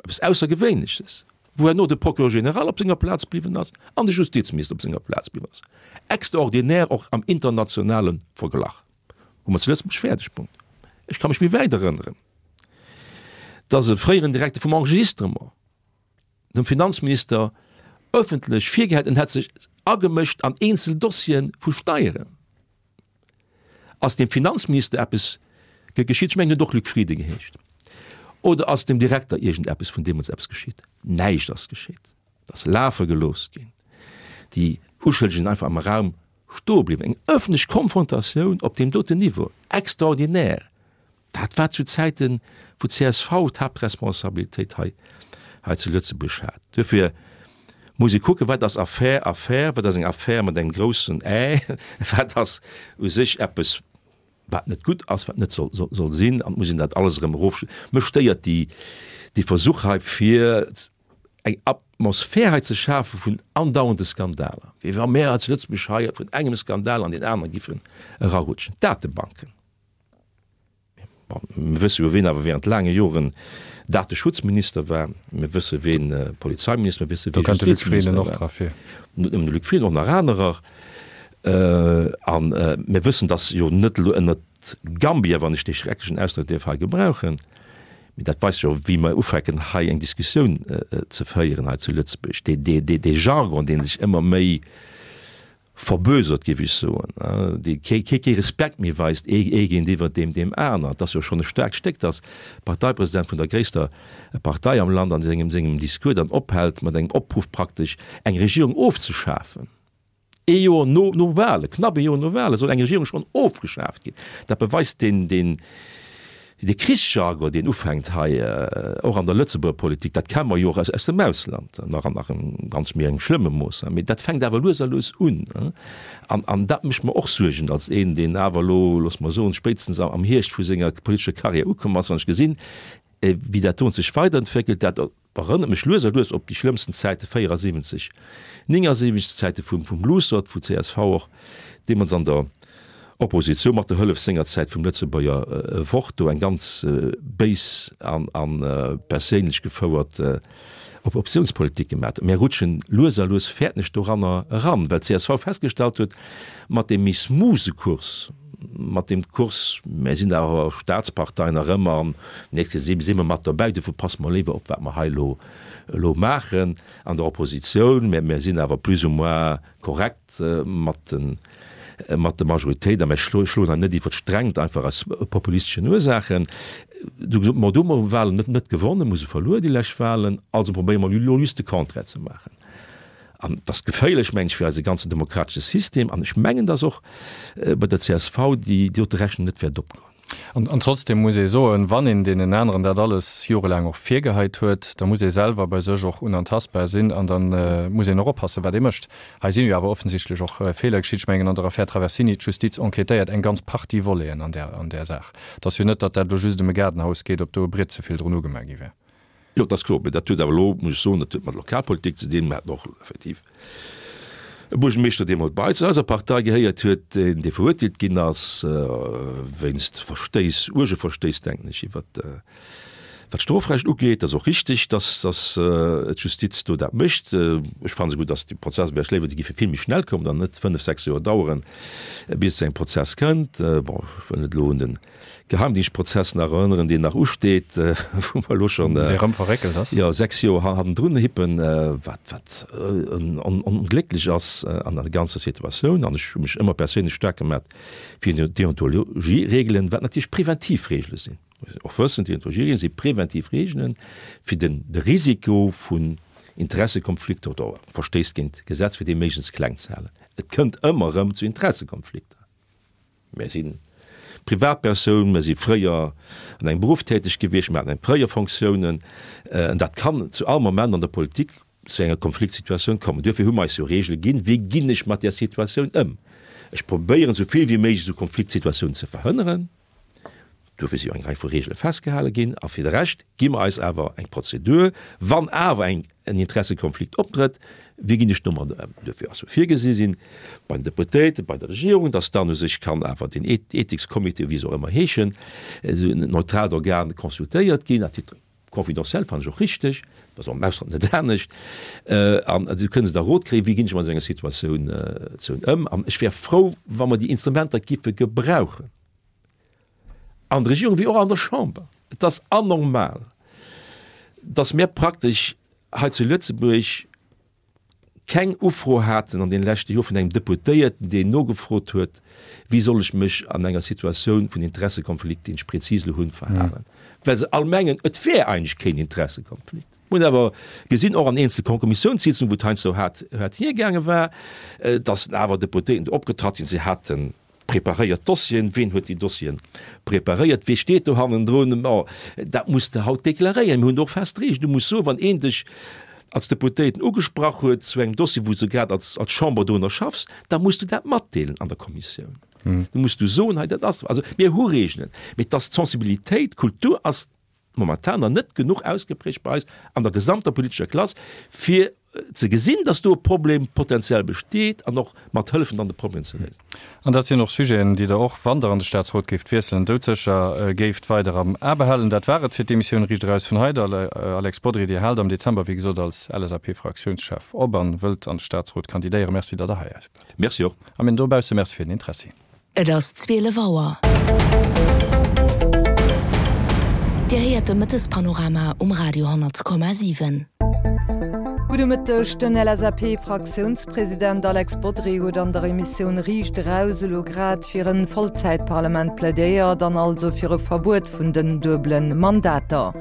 Eppes Aussergewéinleches, wou herno de Procureur général op senger Plaz bliwwen ass an de Justizminister op senger Plaz bliwwen ass. Extraordinär och am internationale Verglach. Hu mer zu Lëtzebuerg fäerdeg bruecht. Ech ka mech méi wäit erënneren, dass e fréieren Direkter vum Enregistrement dem Finanzminister ëffentlech virgehäit, en hätt sech agemëscht an eenzel Dossiere vu Steieren. Ass dem Finanzminister eppes geschitt? Ech mengen, en huet och Luc Frieden geheescht. Oder ass dem Direkter iergendeppes vun deemools eppes geschitt? Näischt ass geschitt. Et ass lafe gelooss ginn. Déi Uschëllegen sinn einfach am Raum stoe bliwwen. Eng ëffentlech Konfrontatioun op deem doten Niveau, extraordinär. Dat war zu Zäiten, wou d'CSV d'Haaptresponsabilitéit hei hei zu Lëtzebuerg hat. Duerfir muss ee kucken, wat ass Affär Affär, wat ass eng Affär mat engem groussen Ä, wat ass u sech eppes, wat net gutt ass, wat net soll soll sinn, an et muss een dat alles erëm erof. Mech stéiert déi dee Versuch hei, fir eng Atmosphär hei ze schafe vun andauernde Skandaler, wéi wa mir hei zu Lëtzebuerg hei vun engem Skandal an deen anere giffen erarutschen. D'Datebanken. Bon, mir wësse jo, ween awer während laange Joren Dateschutzminister war. Mir wësse ween Polizeiminister, mir wësse wee Justizminister war. Net nëmmen de Luc Frieden, och nach anerer. A mir wëssen, datt jo net elo ënnert Gambia, wann ech dee schrecklechen Ausdrock däerf hei gebrauchen, mee dat weist jo, wéi mer ufänken hei eng Diskussioun ze féieren hei zu Lëtzebuerg, dee Jargon, dee sech ëmmer méi verbösert, géif ech soen, dee kee Respekt méi weist ee géintiwwer deem deem aner. Et ass jo schonn e staarkt Stéck, datt de Parteipresident vun der gréisster Partei am Land an sengem sengem Discours dann ophält mat engem Opruff praktesch eng Regierung ofzeschafen. Ee Joer no no Wahlen, knapp ee Joer no Wahlen soll eng Regierung schonn ofgeschaaft ginn. Dat beweist deen deen. De Krichsjargon, deen ufänkt hei och an der Lëtzebuerger Politik, dat kenne mer jo och aus dem Ausland, nach an engem ganz méi engem schlëmme Mooss, mee dat fänkt awer lues a lues un. An dat mécht mer och Suergen als een, deen awer elo, loosse mer soen, spéitstens am Hierscht vu senger politescher Karriär ukomm ass, wann ech gesinn, wéi dat do sech weiderentwéckelt, dat Erënnert mech lues a lues op déi schlëmmsten Zäite 74, 79, d'Zäite vum vum Luussert, wou csv och deemools an der Oppositioun mat der Hëllef sengerzäit vum Lëtzebuerger Wort do eng ganz béis an a perséinlech gefouert Oppositiounspolitik gemaat huet. Mär rutschen lues a lues, fäerten ech, doranner eran, well csv festgestallt huet, mat deem méi smoothe Kurs, mat deem Kurs, mär sinn awer Staatspartei nach ëmmer an nächstes si si mer mat dobäi, dofir passe mer léiwer op wat mer hei elo elo maachen an der Oppositioun, mä mär sinn awer plus ou moins korrekt mat de mat der Majoritéit a mär schloen hei net iwwert d'Strengt einfach aus populisteschen Ursaachen. Du gesot, ma do hu mer Wahlen net net gewonnen, mir hu se verluer déi lescht Wahlen, also probéiere mer elo just de Contraire ze maachen. An et ass geféierlech, mengen ech, fir eise ganzen demokratesche System. An ech mengen, dass och bei der csv déi dote Rechnung net wäert opgoen. An trotzdem muss ee soen, wann een deenen aneren dat alles jorelaang och virgeheit huet, da muss ee selwer bei sech och unantastbar sinn an da muss een och oppassen, wat ee mécht. Hei sinn jo awer offensichtlech och Feeler geschitt. Ech mengen, an der Affär Traversini, d'Justiz enquêtéiert eng ganz Partie Voleten an där Saach. Et ass jo net, datt dat elo just ëm e Gaardenhaus geet, op do e Briet ze vill drun ugemaach gi wär. Jo, dat ass kloer. Mä dat huet awer elo, muss ech soen, dat huet mat Lokalpolitik ze dinn. Mer haten och effektiv e Buergermeeschter, dee mol bei zu eiser Partei gehéiert huet, deen, dee verurteelt ginn ass wéinst Verstéiss, uerge Verstéiss, denken ech, iwwer wat d'Strofrecht ugeet. Dat ass och richtig, dass, dass d'Justiz do dat mécht. Ech fannen esouguer, dass déi Prozesser, wär ech léiwer, déi géife vill méi schnell kommen an net fënnf, sechs Joer daueren, bis et zu engem Prozess kënnt. Bon, ech wëll net elo un den Geheimdingschtprozess nach erënneren, deen nach usteet, wou mer elo schonn Dee rëm verréckelt ass. jo, 6 Joer hannendrun hippen, wat, wat onglécklech ass an der ganzer Situatioun. An ech hu mech ëmmer perséinlech staark gemat fir Deontologieregelen, wat natierlech preventiv Regele sinn. Muss een och wëssen, Deontologieregelen si preventiv Regelen, fir den, de Risiko vun Interessekonflikter oder Verstéiss géint d'Gesetz, fir dee méiglechst kleng ze halen. Et kënnt ëmmer erëm zu Interessekonflikter. Mär si Privatpersoun, mär si fréier an engem Beruff täteg gewiescht, mär haten eng fréier Fonctiounen. An dat kann zu all Moment an der Politik zu enger Konfliktsituatioun kommen. Duerfir hu mer eis jo Regele ginn, wéi ginn ech mat där Situatioun ëm. Ech probéieren esou vill wéi méiglech esou Konfliktsituatiounen ze verhënneren. Duerfir si jo eng Rei vu Regele festgehale ginn. A fir de Rescht gi mer eis awer eng Prozedur, wann awer eng en Interessekonflikt optrëtt, wéi ginn ech domat ëm? Duerfir ass jo virgesi sinn bei den Deputéierten, bei der Regierung, dass dann u sech kann awer den Ethikscomité, wéi se och ëmmer heeschen, esou en neutraalt Organ consultéiert ginn, à titre confidentiel, fannen ech och richteg, dat ass och am Ausland net anescht, an esou kënne se da Rot kréien, wéi ginn ech mat esou enger Situatioun ëm. An ech wär frou, wa mer déi Instrumenter giffe gebrauchen. An der Regierung wéi och an der Chamber. Et ass anormal, datt mir praktesch hei zu Lëtzebuerg keng Ufro haten an deene leschte Joer vun engem Deputéierten, deen nogefrot huet, wéi soll ech mech an enger Situatioun vun Interessekonflikt, deen ech prezis elo hunn, verhalen, well se all mengen, et wär eigentlech keen Interessekonflikt. Mir hunn awer gesinn, och an eenzele Kommissiounssitzungen, wou et heiansdo haart hiergaange war, datt awer Deputéierten do opgetratt sinn, se haten Preparéiert Dossieren, ween huet déi Dossieren preparéiert, wee steet do hannendrun? Bon, dat muss de haut deklaréieren. Mir hunn do och fest Regeln. Du muss soen, wann een dech als Deputéierten ugesprach huet zu engem Dossier, wou s du grad als als Chamber dorunner schaffs, da muss du dat matdeelen an der Kommissioun. Du muss du soen, hei dat ass. Also mir hu Regeln, mee et ass d'Sensibilitéit, d'Kultur ass momentan nach net genuch ausgeprägt bei eis an der gesamter politescher Klass, fir ze gesinn, dass do e Problem potenziell besteet an och mat hëllefen dann de Problem ze léisen. An dat sinn och Sujeten, déi Der och, wann Der an de Statsrot géift wiesselen, doudsécher géift weider am A behalen. Dat war et fir d'Emissioun Riicht eraus vun hei. Alex Bodry, Dir haalt am Dezember, wéi gesot, als LSAP-Fraktiounschef op an wëllt an de Statsrot kandidéieren. Merci, datt Der hei waart. Merci och. A mir dobausse Merci fir den Interessi. Et ass 12 Auer. Dir héiert de Mëttespanorama um Radio 10,7. Gudde Mëtteg, Den LSAP-Fraktiounspresident Alex Bodry huet an der Emissioun Riicht Eraus elo grad fir en Vollzäitparlament plädéiert an also fir e Verbuet vun den duebelen Mandater.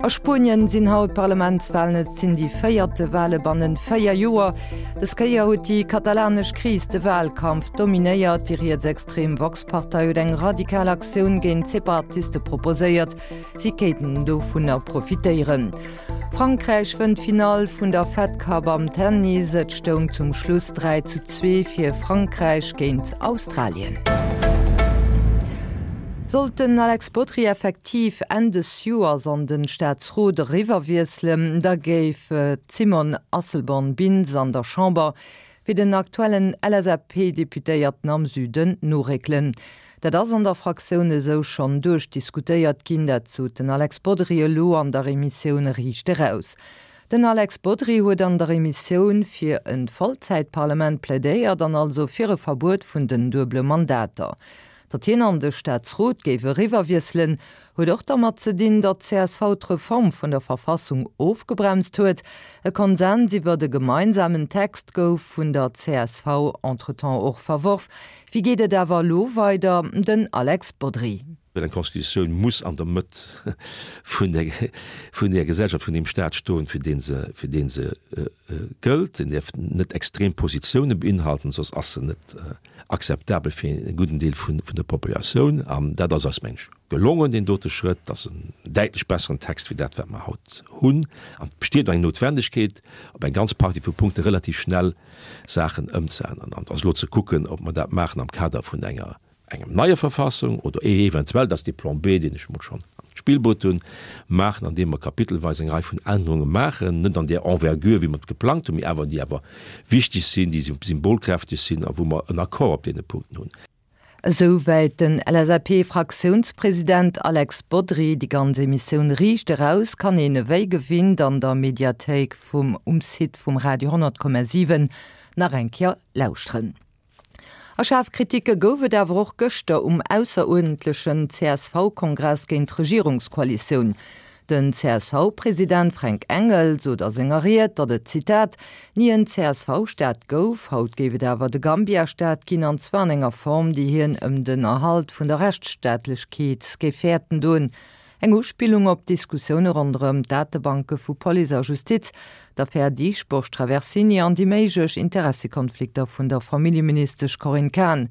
A Spuenien sinn haut Parlamentswalen. Et sinn déi véierte Wale bannen 4 Joer. Dës Kéier huet déi katalanesch Kris de Walkampf dominéiert. Déi rietsextrem Vox-Partei huet eng radikal Aktioun géint d'Separatiste proposéiert. Si kéinten dovunner profitéieren. Frankräich wënnt d'Finall vun der Fed Cup am Tennis. Et stoung zum Schluss 3 zu 2 fir Frankräich géint Australien. Sollt den Alex Bodry effektiv Enn des Joers an den Staatsrot eriwwerwiesselen, da géif d'Simone Asselborn-Bintz an der Chamber fir den aktuellen LSAP-Deputéierten am Süden noréckelen. Dat ass an der Fraktioun esou schonn duerchdiskutéiert ginn, dat sot den Alex Bodry elo an der Emissioun Riicht eraus. Den Alex Bodry huet an der Emissioun fir e Vollzäitparlament plädéiert an also fir e Verbuet vun den duebele Mandater. Datt hien an de Staatsrot géif eriwwerwiesselen, huet och dermat ze dinn, datt csv d'Reform vun der Verfassung ofgebremst huet. E Konsens iwwert e gemeinsamen Text gouf vun der csv entretemps och verworf. Wéi geet et awer elo weider? Den Alex Bodry. Well eng Constitutioun muss an der Mëtt vun der, vun der Gesellschaft, vun deem Staat stoen, fir dee se, fir dee se gëllt. En däerf net extrem Positioune beinhalten, soss ass se net akzeptabel fir e gudden Deel vun, vun der Populatioun. An dat ass eis, meng ech, gelongen, deen dote Schrëtt. Dat ass en däitlech besseren Text wéi dat, wat mer haut hunn. An et besteet och eng Noutwendegkeet, op eng ganz Partie vu Punkte relativ schnell Saachen ëmzeänneren. An et ass elo ze kucken, ob mer dat maachen am Kader vun enger engem neier Verfassung oder eventuell, dat ass dee Plan B, deen ech emol schonn an d'Spill bruet hunn, maachen, andeem mer kapitelweis eng Rei vun Ännerunge maachen, net an där Envergure, wéi mer et geplangt hunn, mee awer déi awer wichteg sinn, déi symbolkräfteg sinn a wou mer en Accord op deene Punkten hunn. Esouwäit den LSAP-Fraktiounspresident Alex Bodry. Déi ganz Emissioun Riicht eraus kann een ewéi gewinnt an der Mediathéik vum um Site vum Radio 10,7 nach eng Kéier lauschteren. A schaarf Kritike gouf et awer och gëschter um ausseruerdentlechen CSV-Kongress géint d'Regierungskoalitioun. Den CSV-President Fränk Engel sot a senger Ried, datt et, Zitat, ni en CSV-Staat gouf, haut géif et awer de Gambia-Staat ginn, an zwar an enger Form, déi hien ëm den Erhalt vun der Rechtsstaatlechkeet géif fäerten doen. Eng Uspillung op d'Diskussioune ronderëm d'Datebanke vu Police a Justiz, d'Affär Dieschbourg-Traversini an déi méiglech Interessekonflikter vun der Familljeministesch Corinne Cahen.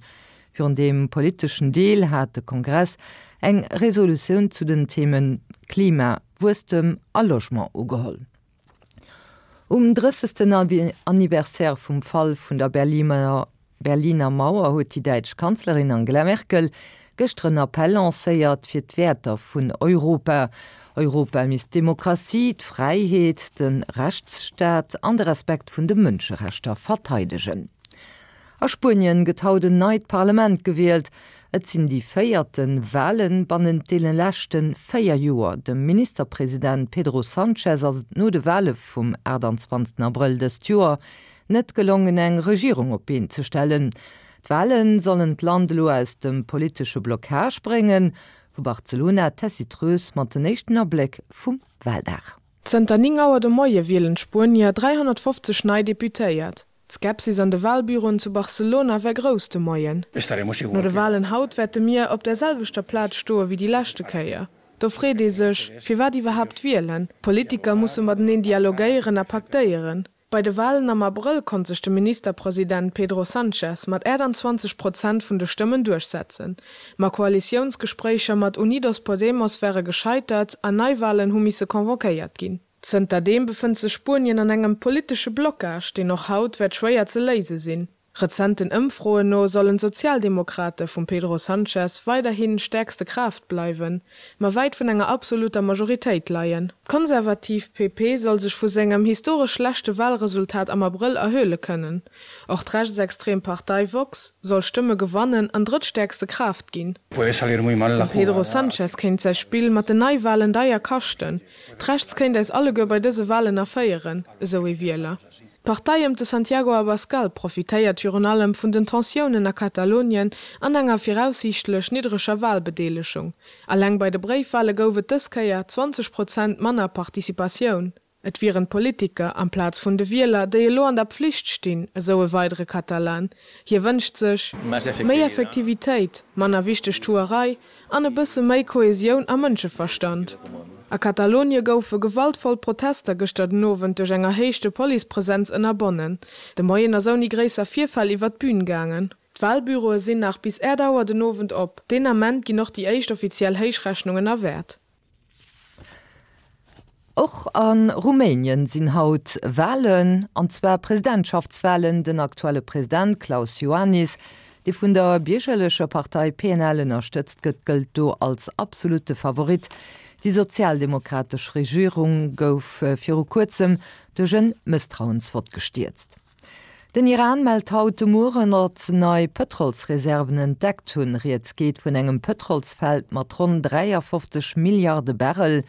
Virun deem politeschen Deel hat de Kongress eng Resolutioun zu den Themen Klima, Wuesstem a Logement ugeholl. Um drëssegsten Anniversaire vum Fall vun der Berliner Mauer huet déi däitsch Kanzlerin Angela Merkel gëschter en Appell lancéiert fir d'Wäerter vun Europa. Europa misst d'Demokratie, d'Fräiheet, de Rechtsstaat an de Respekt vun de Mënscherechter verteidegen. A Spuenien gëtt haut en neit Parlament gewielt. Et sinn déi véierte Wale bannent deene leschte 4 Joer. Dem Ministerpresident Pedro Sanchez ass et no de Wale vum 28 Abrëll dëst Joer net gelongen eng Regierung op d'Been ze stellen. D'Wale sollen d'Land elo aus dem politesche Blockage bréngen. Vu Barcelona d'Tessy Treus mat den éischten Abléck vum Waldag. Zënter 9 Auer de Moie wielen d'Spuenier 350 nei Deputéiert. D'Skepsis an de Walbüroen zu Barcelona war grouss de Moien. No de Walen haut wäerte mir op der selwechter Plaz stoe wéi déi leschte Kéier. Do freet ee sech, firwat iwwerhaapt wielen? D'Politiker musse mateneen dialogéieren a paktéieren. Bei de Walen am Abrëll konnt sech de Ministerpresident Pedro Sanchez mat 28 Prozent vun de Stëmmen duerchsetzen. Ma Koalitiounsgespréicher mat Unidos Podemos ware gescheitert an Neiwalen hu misse convoquéiert ginn. Zënterdeem befënnt sech Spuenien an engem politesche Blockage, deen och haut wäert schwéier ze léise sinn. Rezenten Ëmfroen no sollen d'Sozialdemokrate vum Pedro Sanchez weiderhi stäerkste Kraaft bleiwen, ma wäit vun enger absoluter Majoritéit leien. D'konservativ PP soll sech vu sengem historesch schlechte Walresultat am Abrëll erhuele kënnen. Och d'rechtsextrem Partei Vox soll Stëmme gewannen an drëttstäerkste Kraaft ginn. Dem Pedro Sanchez kéint säi Spill mat den Neiwalen deier kaschten. D'Rechts kéint äis alleguer bei dëse Walen erféieren, esou ee Wieler. D'Partei ëm de Santiago Abascal profitéiert virun allem vun den Tensiounen a Katalonien an enger viraussiichtlech niddreger Walbedeelegung. Alleng bei de Bréifwale gouf et dës Kéier 20 Prozent manner Participatioun. Et wieren d'Politiker, amplaz vun de Wieler, déi elo an der Pflicht stinn, esou e weidere Katalan. Hie wënscht sech méi Effektivitéit, manner Wichtegtuerei an e bësse méi Kohesioun a Mënscheverstand. A Katalonie goufe gewaltvoll Protester gëschter den Owend duerch eng erhéichte Policepresenz ënnerbonnen. De Moien ass ouni gréisser Virfäll iwwer d'Bün gaangen. D'Walbüroe sinn nach bis 8 Auer den Owend op. Deen Ament ginn och déi éischt offiziell Héichrechnungen erwäert. Och a Rumänien sinn haut Walen, an zwar Presidentschaftswalen. Den aktuelle President Klaus Iohannis, dee vun der biergerlecher Partei PNL ënnerstëtzt gëtt, gëllt do als absolutte Favorit. Déi sozialdemokratesch Regierung gouf viru kuerzem duerch en Mësstrauensvott gestierzt. Den Iran mellt haut de Mueren, datt se nei Pëtrolsreserven entdeckt hunn. Rieds geet vun engem Pëtrolsfeld mat ronn 53 Milliarde Barrel.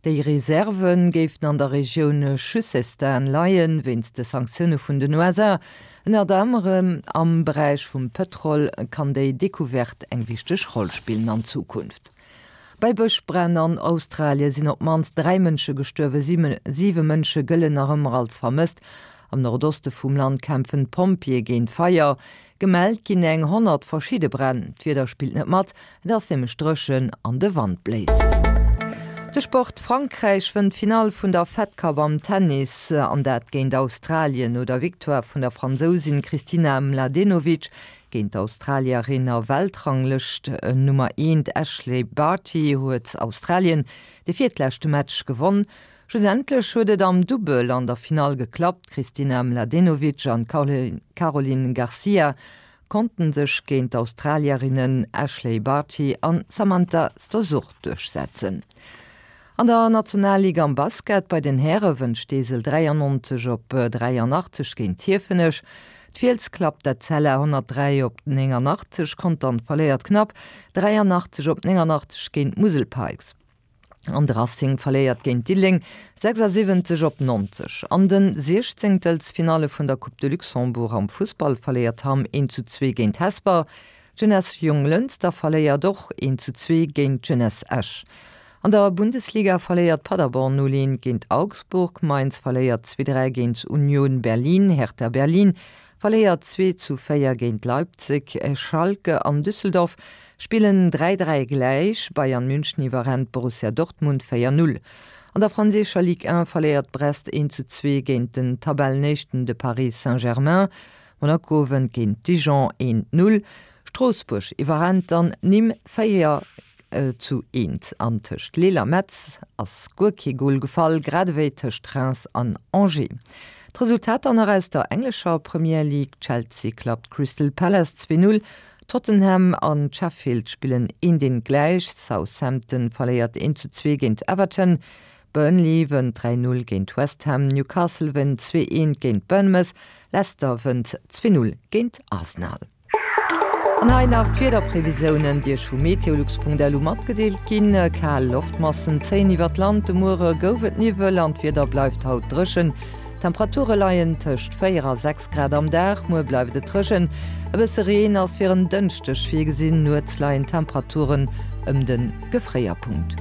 Déi Reserve géifen an der Regioun Chusestan leien. Wéinst de Sanktioune vun den USA, ënnert anerem am Beräich vum Pëtrol, kann déi Decouverte eng wichteg Roll spillen an Zukunft. Bei Bëschbränn an Australie sinn op d'mannst 3 Mënsche gestuerwen, siwe Mënsche gëllen nach ëmmer als vermësst. Am Nordoste vum Land kämpfen d'Pompjeeë géint d'Feier. Gemellt ginn eng 100 verschidde Bränn. D'Wieder spillt net mat, et ass nämlech dréchen an de Wand bléist. De Sport, Frankräich wënnt d'Finall vun der Fed Cup am Tennis, an dat géint Australien. No der Victoire vun der Fransousin Kristina Mladenovic Géint d'Australierin a Weltranglëscht Nummer eent Ashleigh Barty huet Australien de virtleschte Match gewonn. Schlussendlech huet et am Dubbel an der Finall geklappt. D'Kristina Mladenovic an d'Caroline Garcia konnte sech géint d'Australierinnen Ashleigh Barty an Samantha Stosur duerchsetzen. An der Nationalliga am Basket bei den Häre wënnt Steesel 93 op 83 géint Hiefenech. D'Fiels klappt d'Etzella 103 op 89, Contern verléiert knapp 83 op 89 géint d'Musel Pikes an de Racing verléiert géint Diddeleng 76 op 90. An den Siechzéngtelsfinalle vun der Coupe de Luxembourg am Fussball verléiert Hamm 1 zu 2 géint Hesper. D'Jeunesse Jonglënster verléiert och 1 zu 2 géint d'Jeunesse Esch. An der Bundesliga verléiert Paderborn 0, 1 géint Augsburg, Mainz verléiert 2, 3 géint Union Berlin, Hertha Berlin verléiert 2 zu 4 géint Leipzig, Schalke an Düsseldorf spillen 3, 3 gläich, Bayern München iwwerrennt Borussia Dortmund 4, 0. An der franséischer Ligue 1 verléiert Brest 1 zu 2 géint den Tabellenéischten de Paris Saint-Germain, Monaco wënnt géint Dijon 1, 0. Stroossbuerg iwwerrennt dann Nîmes 4 zu 1 an tëscht Lille a Metz ass guer kee Gol gefall, grad ewéi tëscht Reims an Angers. D'Resultater nach aus der englescher Premier League, Chelsea klappt Crystal Palace 2, 0, Tottenham an Sheffield spillen 1, 1 gläich, Southampton verléiert 1 zu 2 géint Everton, Burnley wënnt 3, 0 géint West Ham, Newcastle wënnt 2, 1 géint Bournemouth, Leicester wënnt 2, 0 géint Arsenal. An hei nach d'Wiederprevisiounen, déi Iech vu meteolux.lu matgedeelt ginn. Kal Loftmassen zéien iwwer d'Land, de Muere gouf et Niwwel an d'Wieder bleift haut dréchen. D'Temperature leien tëscht 4 a 6 Grad am Dag. Muer bleift et dréchen, e bësse Reen ass fir en Dënschdeg virgesinn. Nuets leien d'Temperaturen ëm de Gefréierpunkt.